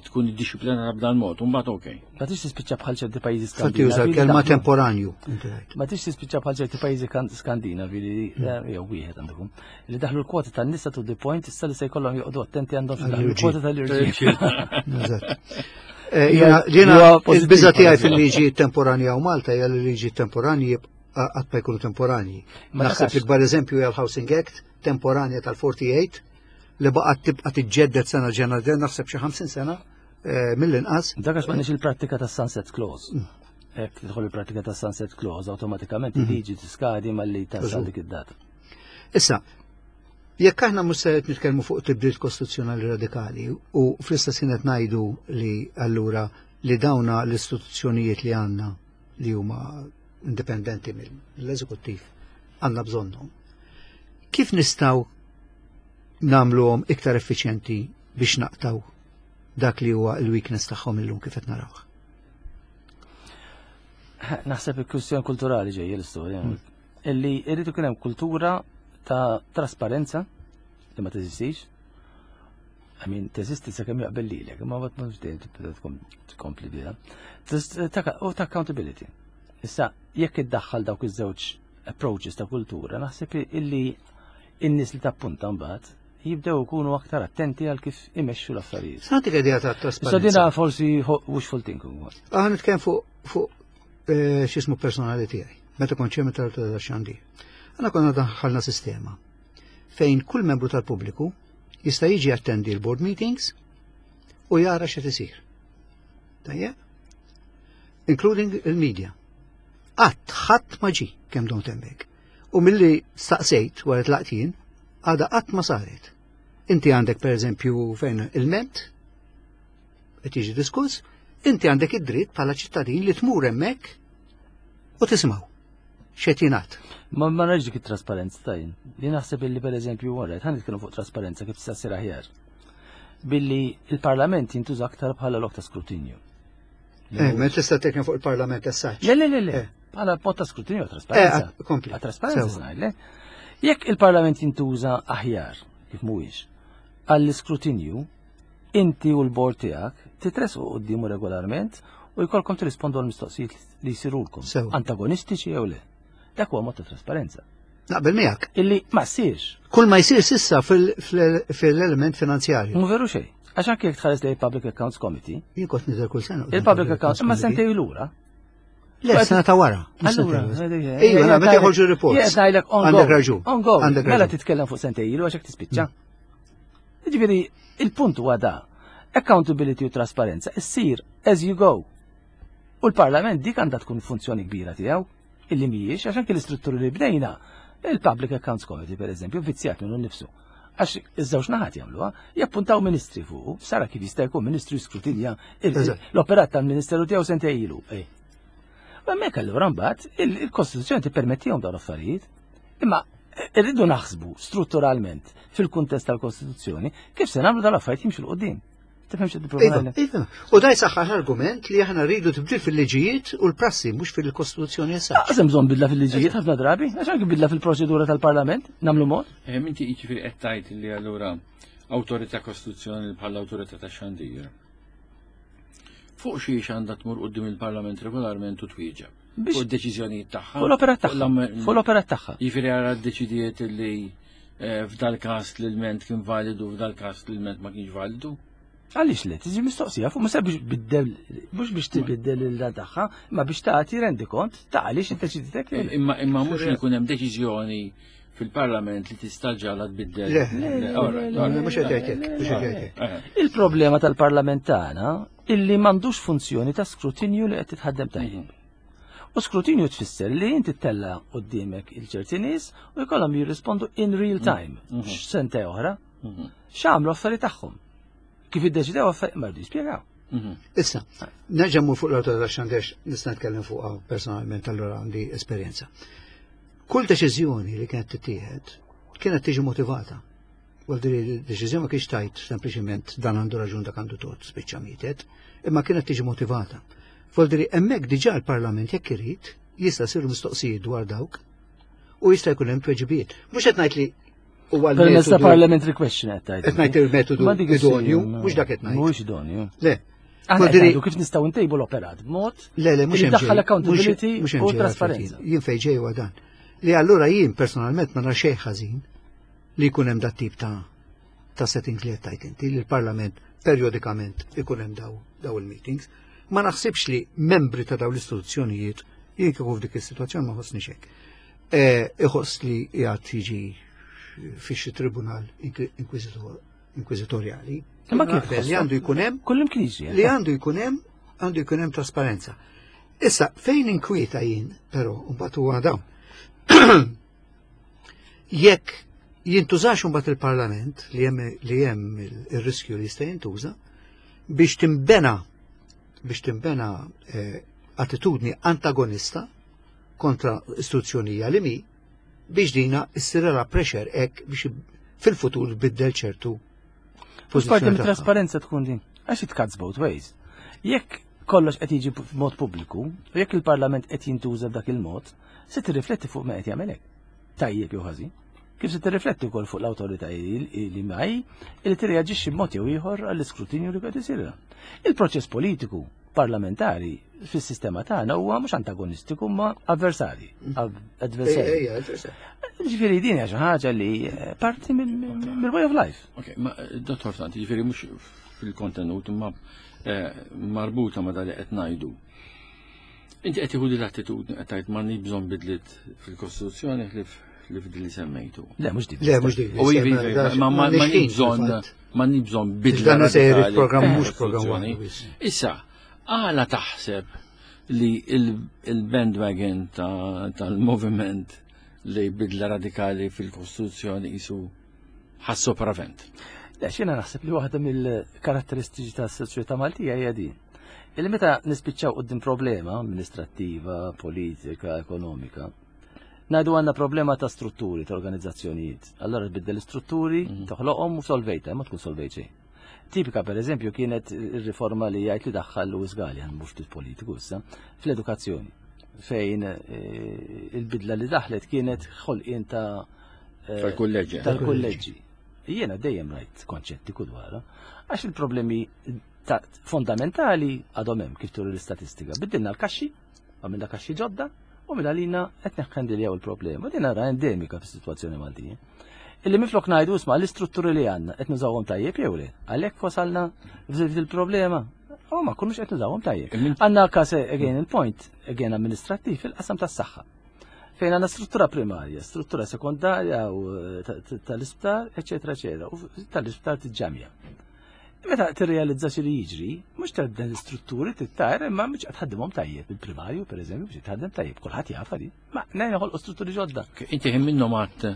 tkun iddixxiplinata b'dan mod, u mbagħad okej. Ma tix tispiċċa bħal ċerti pajjiżi Fatti uża Skandinavi. li l-kelma daħlu- temporanju. inti għidt. Ma tix tispiċċa bħal ċerti pajjiżi Skandinavi li jew wieħed għandhom li daħlu l-kwota tan-nisa to the point issa li se jkollhom joqogħdu attenti għandhom xi daħlu l-kwota tal-irġiel. Eżatt. Jiena Huwa pożittiv il-biża tiegħi bħala fil-liġi temporanja u Malta hija li liġi temporanji qatt ma jkunu temporanji. Ma Naħseb takax. l-ikbar eżempju hija l-Housing Act temporanja tal-48 li baqgħet tibqa' tiġġedded sena ġena naħseb xi 50 sena mill-inqas. Dak għax m'għandniex il-prattika tas-sunset clause. Hekk tidħol il-prattika tas-sunset clause, awtomatikament il-liġi tiskadi malli tasal dik id-data. Issa, jekk aħna mhux se qed nitkellmu fuq tibdil kostituzzjonali radikali u fl-istess ħin qed ngħidu li allura li dawna l-istituzzjonijiet li għandna li huma indipendenti mill-eżekuttiv għandna bżonnhom. Kif nistgħu nagħmluhom iktar effiċjenti biex naqtaw dak li huwa l-weakness tagħhom illum kif qed narawh? Naħseb il-kwistjoni kulturali ġejja l-istorja. Illi irrid ikun hemm kultura ta' trasparenza li ma teżistix. I mean, teżisti sakemm jaqbel lilek, imma ma mhux dejjem tibda tkompli biha. U ta' accountability. Issa, jekk iddaħħal dawk iż-żewġ approaches ta' kultura, naħseb illi in-nies li tappunta mbagħad jibdew ikunu aktar attenti għal kif imexxu l-affarijiet. Santi idea ta' Issa trasparenza. dina forsi wishful thinking. ukoll. Aħna nitkellem fuq x'ismu personali tiegħi, meta kont chairman tal-Xandir. Aħna konna daħħalna sistema fejn kull membru tal-pubbliku jista' jiġi attendi l-board meetings u jara x'qed isir. Tajjeb? Including il-media. Qatt ħadd ma ġi kemm dom hemmhekk. U milli staqsejt wara tlaqtin, għada qatt ma saret. Inti għandek per eżempju fejn il-ment, qed jiġi diskuss, inti għandek id-dritt bħala ċittadin li tmur hemmhekk u tisimgħu x'qed jingħad. Ma narax dik it-trasparenza tajn. Li naħseb illi per eżempju wara, ħan nitkellmu fuq trasparenza kif tista' ssir aħjar. Billi il-Parlament jintuża aktar bħala lok ta' skrutinju. Ma tista' titkellem fuq il-Parlament as Le, le, le, le. Bħala mod ta' skrutinju trasparenza. Kompli. Għal trasparenza ngħid, le. Jekk il-Parlament jintuża aħjar, kif mhuwiex, għall-iskrutinju, inti u l-bord tiegħek titresqu quddiemu regolarment u jkollkom tirrispondu għal mistoqsijiet li jsirulkom. Antagonistiċi jew le. Dak huwa mod ta' trasparenza. Naqbel miegħek. Illi ma ssirx. Kull ma jsir sissa fil-element finanzjarju. Mhu veru xejn. Għax anke jekk tħares lejn Public Accounts Committee. Jien kont nidher kull sena. Il-Public Accounts imma sentej lura. Le, sena ta' wara. Allura, Iva, meta joħorġu reports. Jien ngħidlek on Għandek raġun. On go. Għandek Mela raġun. titkellem fuq sentej ilu għax hekk tispiċċa. Jiġifieri, il-punt huwa da. Accountability u trasparenza issir as you go. U l-Parlament dik għandha tkun funzjoni kbira tiegħu illi mhijiex għax anke l-istrutturi li bnejna il-Public Accounts Committee per eżempju vizzjat minnu nnifsu. Għax iż-żewġ naħat jagħmluha, jappuntaw ministri fuq, sara kif jista' jkun ministru jiskrutinja l-operat tal-ministeru tiegħu sentej ilu. Ma hemmhekk allura mbagħad il-Kostituzzjoni tippermettihom dawn l-affarijiet. Imma irridu naħsbu strutturalment fil-kuntest tal-Kostituzzjoni kif se nagħmlu dawn l-affarijiet jimxu 'l quddiem. Tifhem xi Iva, iva. U da jsaħħaħ argument li aħna rridu tibdil fil-liġijiet u l-prassi mhux fil-Kostituzzjoni issa. Għazem bżonn bidla fil-liġijiet ħafna drabi, għax anke bidla fil-proċedura tal-Parlament, nagħmlu mod. Inti jiġifieri qed tgħid li allura awtorità kostituzzjonali bħala awtorità ta' xandir. Fuq xiex għandha tmur quddiem il-Parlament regolarment u twieġeb. Biex- Fuq id-deċiżjonijiet tagħha. Fuq l-operat tagħha. Fuq l-operat tagħha. Jiġifieri għara ddeċidiet li f'dal każ l-ilment kien validu, f'dal każ l-ilment ma kienx validu. Għaliex le, tiġi mistoqsija fuq mhux biex biddel, mhux biex tibiddel il tagħha, imma biex tagħti rendikont ta' għaliex iddeċiditek li. Imma mhux li jkun hemm deċiżjoni fil-Parlament li tista' ġala tbiddel. Le, Le, all right, all right. Mhux qed jgħid hekk, mhux qed jgħid hekk. Il-problema tal-Parlament tagħna illi m'għandux funzjoni ta' skrutinju li qed titħaddem tajjeb. U skrutinju tfisser li inti tella quddiemek il-ċerti nies u jkollhom jirrispondu in real time, x'sente oħra, x'għamlu affarijiet tagħhom. Kif iddeċidew affarijiet ma rridu jispjegaw. Issa, nerġa' mmur fuq l-awtorità xandex nista' nitkellem fuqha personalment allura għandi esperjenza. Kull deċiżjoni li kienet tittieħed kienet tiġi motivata. Għal din deċiżjoni ma kienx tajt sempliċiment dan għandu raġun dak għandu tort spiċċa mietet, imma kienet tiġi motivata. Vuol dire hemmhekk diġà l-Parlament jekk irid jista' jsiru mistoqsijiet dwar dawk u jista' jkun hemm tweġibiet. Mhux qed ngħid li Huwa Permezz ta' parliamentary question qed tgħid. Qed ngħid il-metodu idonju, mhux dak qed ngħid. Mhuwiex idonju. Le. Aħna qed kif nistgħu ntejbu l-operat b'mod Le, le, mhux hemm. Daħħal accountability u trasparenza. Jien fejn ġej huwa dan. Li allura jien personalment ma nara xejn ħażin li jkun hemm dat tip ta' ta' settings li qed tgħid inti li l-Parlament periodikament ikun hemm daw daw il-meetings. Ma naħsibx li membri ta' daw l-istituzzjonijiet jien kieku f'dik is-sitwazzjoni ma ħossni hekk. Eh, iħoss li qiegħed jiġi fi xi tribunal inkwiżitorjali. Imma kif li għandu jkun hemm Kullim kien Li għandu jkun hemm għandu jkun hemm trasparenza. Issa fejn inkwieta jien, però mbagħad huwa dawn. Jekk jintużax imbagħad il-Parlament li hemm li hemm ir-riskju li jista' jintuża biex timbena biex timbena eh, attitudni antagonista kontra istituzzjonija li mi biex dina issirela pressure hekk biex fil-futur tbiddel ċertu Mhux parti mit-trasparenza tkun din. Għax it cuts both ways. Jekk kollox qed jiġi b'mod pubbliku, u jekk il-Parlament qed jintuża b'dak il-mod, se tirrifletti fuq ma qed jagħmel hekk. Tajjeb jew ħażin. Kif se tirrifletti wkoll fuq l-awtoritajiet li maj li tirreaġixxi b'mod jew ieħor għall-iskrutinju li qed isir. Il-proċess politiku parlamentari fis-sistema tagħna huwa mhux antagonistiku ma avversari. Adversari. Ġifieri din hija xi ħaġa li eh, parti mill-way of life. Ok, ma eh, dottor Sant, ġifieri mhux fil-kontenut imma eh, marbuta ma dali qed ngħidu. Inti qed tieħu l-attitudni qed tgħid m'għandni bżonn bidliet fil-Kostituzzjoni ħlif li f'din li semmejtu. Le, mhux dik. Le, mhux dik. U iva, ma ma bżonn ma bżonn bidla. Dan se jrid programm mhux programm. Issa, għala taħseb li il-bandwagon tal-moviment li bidla radikali fil-Kostituzzjoni jisu ħas sopravent? Le, xina naħseb li waħda mill-karatteristiċi tas-soċjetà Maltija hija din. Illi meta nispiċċaw qudiem problema amministrattiva, politika, ekonomika, Ngħidu għandna problema ta' strutturi, ta' organizzazzjonijiet. Allora tbiddel l-istrutturi, mhm. toħloqhom u solvejta, ma tkun solvejt xejn. Tipika per eżempju kienet ir-riforma li jgħid li daħħal Louis Gallia, mhux ftit politiku issa, fl-edukazzjoni fejn eh, il-bidla li daħlet kienet ħolqien ta' eh, tal-kulleġġi. Tal-kulleġġi. Jiena dejjem rajt konċetti dwarha, għax il-problemi fondamentali għadhom hemm kif turi l-istatistika. Biddilna l-kaxxi, Għamilna kaxxi ġodda u minn għalina qed neħħendiljaw il-problema. Din nara endemika fis-sitwazzjoni Maltija. Illi minflok ngħidu isma' l-istrutturi li għandna qed nużawhom tajjeb jew le. Għalhekk wasalna f'żilt il-problema. U ma kunux qed nużawhom tajjeb. Għandna każ again il-point, again amministrattiv fil-qasam tas-saħħa. Fejn għandna struttura primarja, struttura sekondarja u eh, tal-isptar, eċetera, eċetera, u tal-isptar tiġġamja. Meta tirrealizza xi li jiġri, mhux tibda l-istrutturi tittajr imma mhux qed tħaddimhom tajjeb. Il-primarju pereżempju biex tħaddem tajjeb, kulħadd jaf di. Ma nejn noħolqu strutturi ġodda. Inti ħin minnhom għad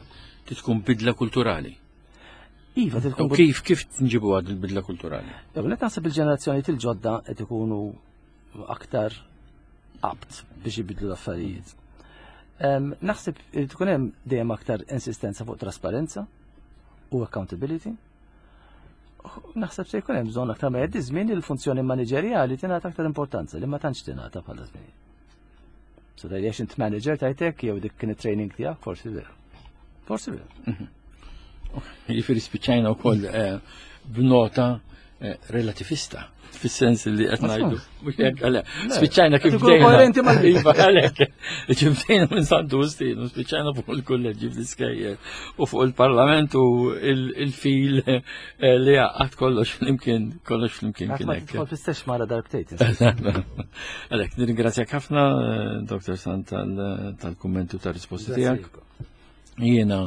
tkun bidla kulturali. Iva, tkun kif kif nġibu għad il-bidla kulturali? Jew qed naħseb il-ġenerazzjoni il-ġodda qed ikunu aktar apt biex jibidlu l-affarijiet. Naħseb irid ikun hemm dejjem aktar insistenza fuq trasparenza u accountability. Naħseb se jkun hemm bżonn aktar ma jgħaddi żmien il-funzjoni maniġerjali tingħata aktar importanza li ma tantx tingħata bħala żmien. So tgħid għax int manager tajtek jew dik kien it-training tiegħek forsi vera. Forsi vera. Mhm. Jiġifieri spiċċajna wkoll eh, b'nota eh, relativista fis-sens li qed ngħidu. Mhux hekk għalhekk. Spiċċajna kif bdejna. Koerenti mal Iva għalhekk. Bdejna minn Santu Wistin u spiċċajna fuq il-kulleġġi fl-iskejjel u fuq il-Parlament u il-fil eh, li għad kollox flimkien kollox flimkien kien hekk. Tidħol fl-istess mara darbtejn. Għalhekk nirringrazzjak ħafna eh, Dr. Sant tal-kummenti u tar-risposti tiegħek. Jiena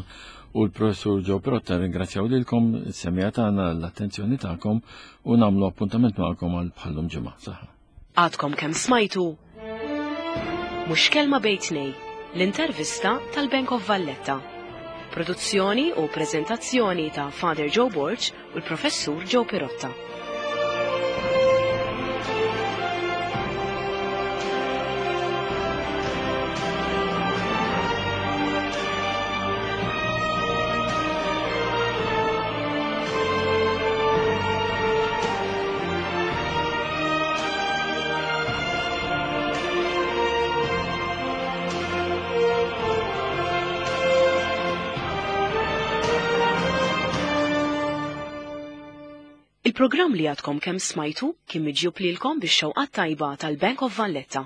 u l-professur Joe Protta ringrazzjaw lilkom is-semija tagħna l-attenzjoni tagħkom u nagħmlu appuntament magħkom għal bħallum ġimgħa. Saħħa. Għadkom kemm smajtu Mhux kelma bejn tnej, l-intervista tal-Bank of Valletta. Produzzjoni u preżentazzjoni ta' Father Joe Borg u l-Professur Joe Pirotta. Il-programm li għadkom kemm smajtu kien miġjub lilkom bix-xewqat tajba tal-Bank of Valletta.